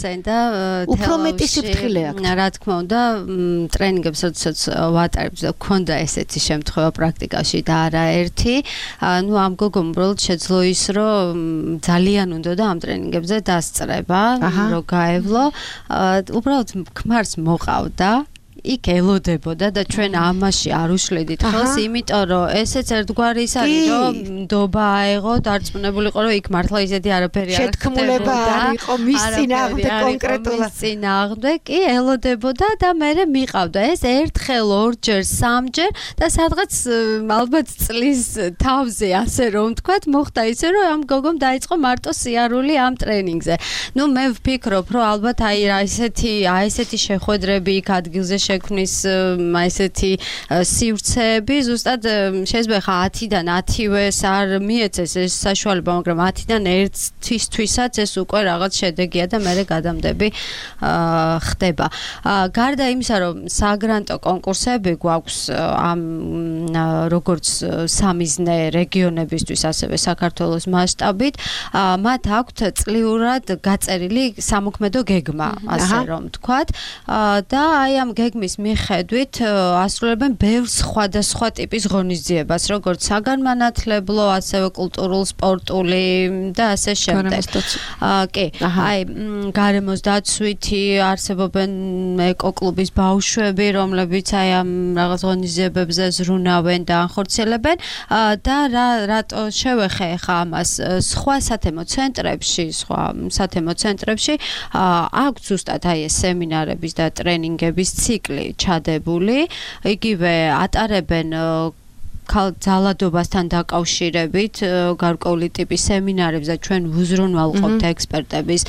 უფრო მეტი სიფრთხილე აქვს რა თქმა უნდა ტრენინგებს როდესაც ვატარებთ და გქონდა ესეთი შემთხვევა პრაქტიკაში და არაერთი ნუ ამ გოგომ უბრალოდ შეძლო ის რომ ძალიან უნდა და ამ ტრენინგებზე დასწრება რომ გაევლო უბრალოდ ქმარს მოყავდა იქ ელოდებოდა და ჩვენ ამაში არ უშლედით ხელს, იმიტომ რომ ესეც ერთგვარი ის არის, რომ ნდობა აეღო, დარწმუნებულიყო, რომ იქ მართლა ისეთი არაფერი არ შეთქმულება არ იყო მის წინააღმდეგ კონკრეტულად. მის წინააღმდეგ კი ელოდებოდა და მერე მიყავდა ეს ერთხელ, ორჯერ, სამჯერ და სადღაც ალბათ წლის თავზე ასე რომ ვთქვათ, მოხდა ისე, რომ ამ გოგომ დაიწყო მარტო სიარული ამ ტრენინგზე. ნუ მე ვფიქრობ, რომ ალბათ აი ესეთი შეხვედრები იქ ადგილზე შექმნის ესეთი სივრცეები ზუსტად შეიძლება ხა 10-დან 10-ვეს არ მიეცეს ეს საშუალება, მაგრამ 10-დან 1-თვისაც ეს უკვე რაღაც შედეგია და მერე გადამდები ხდება. გარდა იმისა, რომ საგრანტო კონკურსები გვაქვს ამ როგორც სამიზნე რეგიონებისთვის, ასევე საქართველოს მასშტაბით, მათ აქვთ წლიურად გაწერილი სამოქმედო გეგმა, ასე რომ ვთქვათ, და აი ამ გეგმის მიხედვით ასრულებენ ბევრ სხვადასხვა ტიპის ღონისძიებას, როგორც საგანმანათლებლო, ასევე კულტურულ, სპორტული და ასე შემდეგ. კი, აი გარემოს დაცვითი არსებობენ ეკოკლუბის ბავშვები, რომლებიც აი ამ რაღაც ღონისძიებებზე ზრუნავენ და ახორციელებენ და რატო შევეხე ხა ამას სხვა სათემო ცენტრებში აქვს ზუსტად აი ეს სემინარების და ტრენინგების ციკლი ჩადებული, იგივე ატარებენ ძალადობასთან დაკავშირებით გარკვეული ტიპის სემინარებს და ჩვენ ვუზრუნველყოფთ ექსპერტების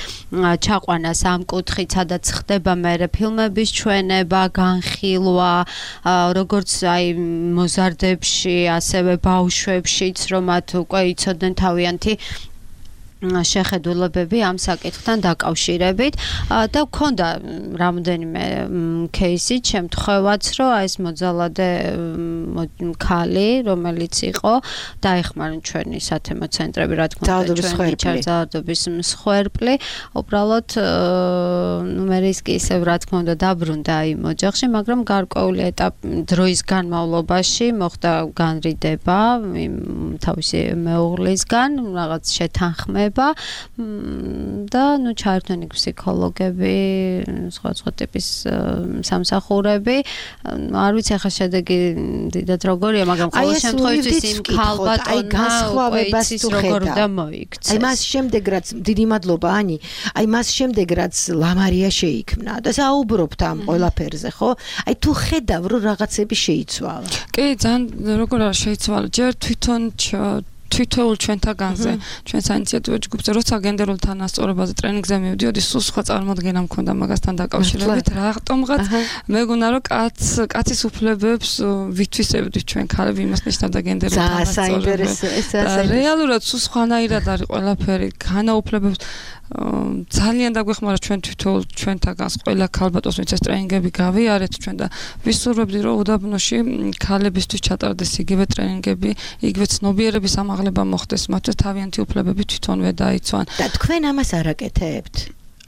ჩაყვანას ამ კუთხით, სადაც ხდება მერე ფილმების ჩვენება, განხილვა, როგორც აი მოზარდებში, ასევე ბავშვებშიც, რომ მათ უკვე იცოდნენ თავიანთი შეხედულებები ამ საკითხთან დაკავშირებით და გქონდა რამოდენიმე кейსი, შემთხვევაც, რომ ეს მოძალადე ქალი, რომელიც იყო, დაეხმარნენ ჩვენი სათემო ცენტრები, რა თქმა უნდა, ჩვენი ძალადობის მსხვერპლი, უბრალოდ მე ის კი ისევ რა თქმა უნდა დაბრუნდა იმ ოჯახში, მაგრამ გარკვეული დროის განმავლობაში მოხდა განრიდება თავისი მეუღლისგან, რაღაც შეთანხმება და ნუ ჩაერთვნენ ფსიქოლოგები, სხვა ტიპის სამსახურები. არ ვიცი ახლა შედეგი დიდად როგორია, მაგრამ ყოველ შემთხვევაში იმ ქალბატონმა განსხვავებას თუ როგორ უნდა მოიქცეს. აი მას შემდეგ რაც დიდი მადლობა ანი, აი მას შემდეგ რაც ლამარია შეიქმნა და საუბრობთ ამ ყველაფერზე, ხო? აი თუ ხედავ რომ რაღაცები შეიცვალა. კი, ძალიან როგორ არ შეიცვალა, ჯერ თვითონ თვითოულ ჩვენთაგანზე, ჩვენ საინიციატივო ჯგუფზე, როცა გენდერულ თანასწორობაზე ტრენინგზე მივდიოდი, სულ სხვა წარმოდგენა მქონდა მაგასთან დაკავშირებით, რატომღაც მეგონა რომ კაცის უფლებებს ვითვისებდით ჩვენ ქალები, იმას ნიშნავდა გენდერულ თანასწორობაზე. რეალურად სულ სხვანაირად არის ყველაფერი, განაუფლებებს ძალიან დაგვეხმარა ჩვენ თვითონ ჩვენთაგანს ყველა ქალბატონს ვინც ეს ტრენინგები გავიარეთ ჩვენ და ვისურვებდი რომ უდაბნოში ქალებისთვის ჩატარდეს იგივე ტრენინგები, იგივე ცნობიერების ამაღლება მოხდეს, მათთვის თავიანთი უფლებები თვითონვე დაიცვან. და თქვენ ამას არ აკეთებთ?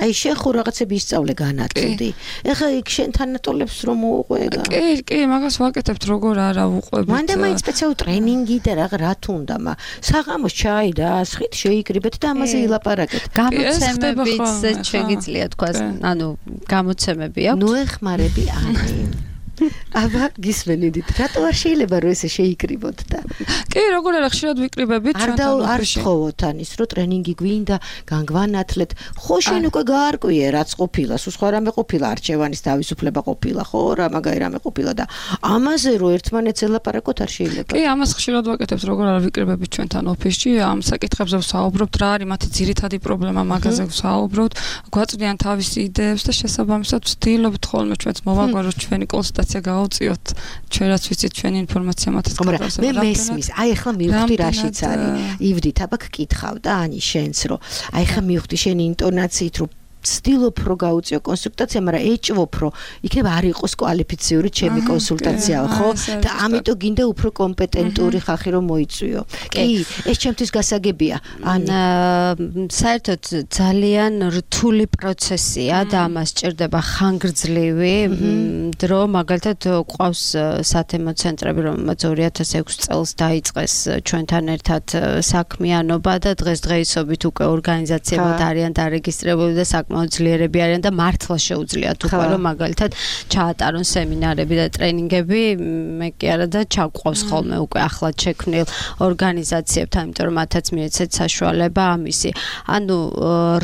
აი შენ ხო რაღაცები ისწავლე განაწილდი. ეხლა იქ შენ თანატოლებს რომ უყვება. კი, მაგას ვაკეთებთ როგორ არა უყვებით. მანდ მაინც სპეციალური ტრენინგი და რა თუ უნდა, საღამოს ჩაი და ასხით შეიკრიბეთ და ამაზე ილაპარაკეთ. გამოცემებიც შეგიძლია თქვა, ანუ გამოცემები აქვს. ნუ ეხმარები ანი. აბა გისმენიდით, რატო არ შეიძლება რომ ესე შეიკრიბოთ და კი, როგორ არა ხშირად ვიკრიბებით ჩვენთან არ თხოვოთ ანის რომ ტრენინგი გვინდა, განგვანათლეთ. ხო შენ უკვე გაარკვიე რაც ყოფილა, სულ სხვა რამე ყოფილა, არჩევანის თავისუფლება ყოფილა, ხო რა მაგარი რამე ყოფილა და ამაზე რომ ერთმანეთს ელაპარაკოთ არ შეიძლება. კი, ამას ხშირად ვაკეთებთ, როგორ არა ვიკრიბებით ჩვენთან ოფისში, ამ საკითხებზე ვსაუბრობთ, რა არის მათი ძირითადი პრობლემა, მაგაზე ვსაუბრობთ, გვაწვდიან თავისი იდეებს და შესაბამისად ვცდილობთ ხოლმე ჩვენც მოვაგვაროთ ჩვენი კონსულტაცია გაუწიოთ, ჩვენ რაც ვიცით ჩვენი ინფორმაცია მათაც გადავასწრებთ. მე მესმის, აი ახლა მივხვდი რაშიც არის. ივდით, აბა გკითხავ და ანი შენს რომ აი ახლა მივხვდი შენი ინტონაციით რომ ვცდილობ რომ გაუწიო კონსულტაცია, მაგრამ ეჭვობ რომ იქნება არ იყოს კვალიფიციური ჩემი კონსულტაცია, ხო? და ამიტომ გინდა უფრო კომპეტენტური ხალხი რომ მოიწვიო. კი, ეს ჩემთვის გასაგებია. საერთოდ ძალიან რთული პროცესია და ამას სჭირდება ხანგრძლივი დრო, მაგალითად ყავს სათემო ცენტრები, რომელმაც 2006 წელს დაიწყეს ჩვენთან ერთად საქმიანობა და დღესდღეობით უკვე ორგანიზაციებად არიან დარეგისტრირებული და მოძლიერები არიან და მართლა შეუძლიათ უკვე რომ მაგალითად ჩაატარონ სემინარები და ტრენინგები, მე კი არა და ჩაგვყავს ხოლმე უკვე ახლად შექმნილ ორგანიზაციებთან, იმიტომ რომ მათაც მიეცეთ საშუალება ამისი. ანუ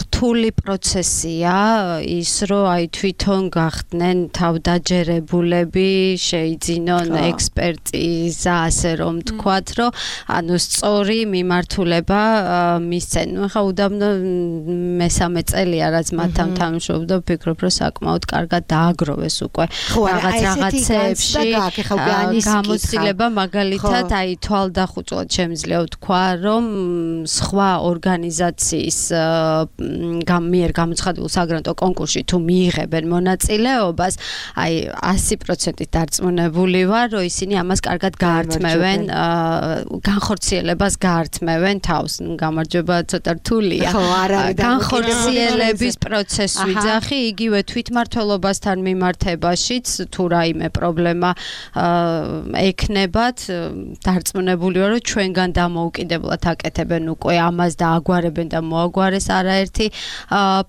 რთული პროცესია ის, რომ აი თვითონ გახდნენ თავდაჯერებულები, შეიძინონ ექსპერტიზა, ასე რომ თქვათ, რომ ანუ სწორი მიმართულება მისცენ. ნუ ხა უდაბნო მესამე წელია რაც მათთან თამაშობდა, ვფიქრობ, რომ საკმაოდ კარგად დააგროვეს უკვე რაღაცებში გამოცდილება, მაგალითად, აი თვალდახუწვად შემიძლია ვთქვა, რომ სხვა ორგანიზაციის მიერ გამოცხადებულ საგრანტო კონკურსში თუ მიიღებენ მონაწილეობას, აი 100%-ით დარწმუნებული ვარ, რომ ისინი ამას კარგად გაართმევენ, განხორციელებას გაართმევენ თავს. გამარჯობა, ცოტა რთულია. განხორციელების პროცესს ვიძახი, იგივე თვითმმართველობასთან მიმართებაშიც თუ რაიმე პრობლემა ექნებათ, დარწმუნებული ვარ, რომ ჩვენგან დამოუკიდებლად აკეთებენ უკვე ამას და აგვარებენ და მოაგვარეს არაერთი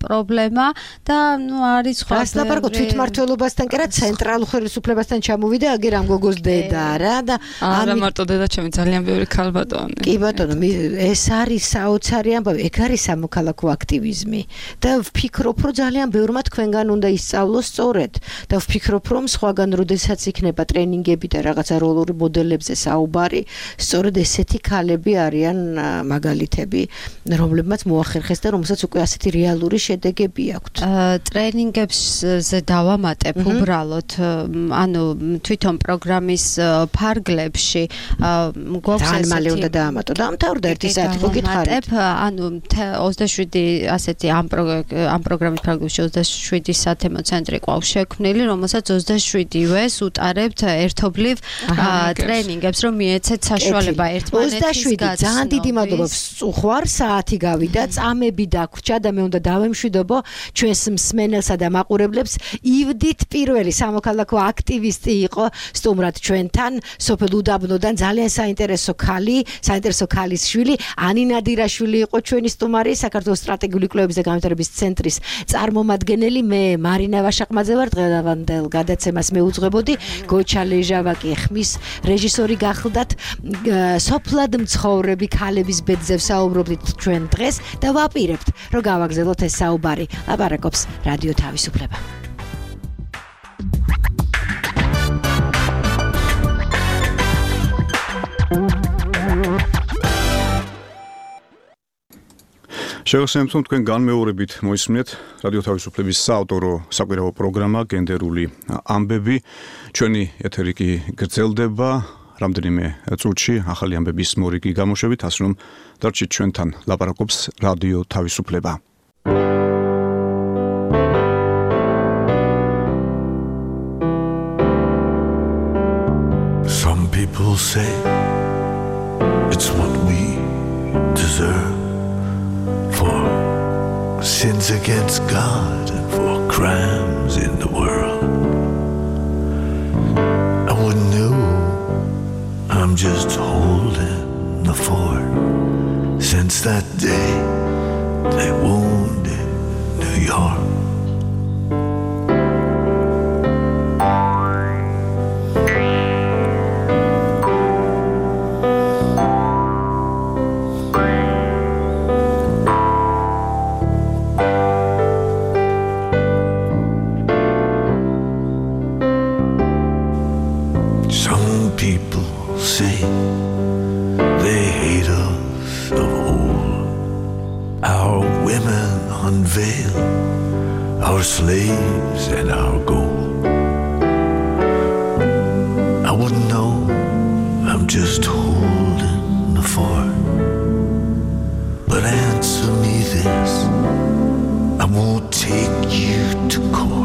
პრობლემა და ნუ არის სხვა. რას ლაპარაკობ თვითმმართველობასთან, კი რა ცენტრალურ ხელისუფლებასთან ჩამოვიდა, აგერ ამ გოგოს დედა რა და არა მარტო დედა ჩემი, ძალიან ბევრი ქალბატონი. კი ბატონო, ეს არის საოცარი ამბავი, ეგ არის სამოქალაქო აქტივიზმი და ვფიქრობ, რომ ძალიან ბევრმა თქვენგან უნდა ისწავლოს სწორედ და ვფიქრობ, რომ სხვაგან როდესაც იქნება ტრენინგები და რაღაცა როლური მოდელებზე საუბარი, სწორედ ესეთი ქალები არიან მაგალითები, რომლებმაც მოახერხეს და რომელსაც უკვე ასეთი რეალური შედეგები აქვთ. ტრენინგებზე დავამატებ უბრალოდ, ანუ თვითონ პროგრამის ფარგლებში გვაქვს ძალიან მალე უნდა დაამატო და ამთავრდა 1 საათი გითხარით. ანუ 27 ასეთი ამ პროგრამის ფარგლებში 27 სათემო ცენტრი ყავს შექმნილი, რომელსაც 27-ვეს უტარებთ ერთობლივ ტრენინგებს, რომ მიეცეთ საშუალება ერთმანეთის 27 ძალიან დიდი მადლობა. ხوار საათი გავიდა, წამები დაგვრჩა და მე უნდა დავემშვიდობო ჩვენს მსმენელსა და მაყურებლებს. ივდით პირველი სამოქალაქო აქტივისტი იყო სტუმრად ჩვენთან, სოფელ უდაბნოდან, ძალიან საინტერესო ქალის შვილი, ანი ნადირაშვილი იყო ჩვენი სტუმარი, საქართველოს სტრატეგიული კვლევების და განვითარების ცენტრის წარმომადგენელი. მე მარინა ვაშაყმაძე ვარ, დღევანდელ გადაცემას მეუძღვებოდი, გოჩა ლეჟავაკი ხმის რეჟისორი გახლდათ. სოფლად მცხოვრები ქალების ბედზე ვსაუბრობდით ჩვენ დღეს და ვაპირებთ, რომ გავაგზავნოთ ეს საუბარი. ლაპარაკობს რადიო თავისუფლება. შეგახსენებთ, რომ თქვენ განმეორებით მოისმინეთ რადიო თავისუფლების საავტორო საკვირაო პროგრამა გენდერული ამბები. ჩვენი ეთერი კი გრძელდება რამდენიმე წუთში ახალი ამბების მორიგი გამოშვებით, ასე რომ დარჩით ჩვენთან, ლაპარაკობს რადიო თავისუფლება. Some people say it's what we deserve for sins against God and for crimes in the world. I wouldn't know, I'm just holding the fort. Since that day they wounded New York. Our slaves and our gold. I wouldn't know, I'm just holding the fort. But answer me this, I won't take you to court.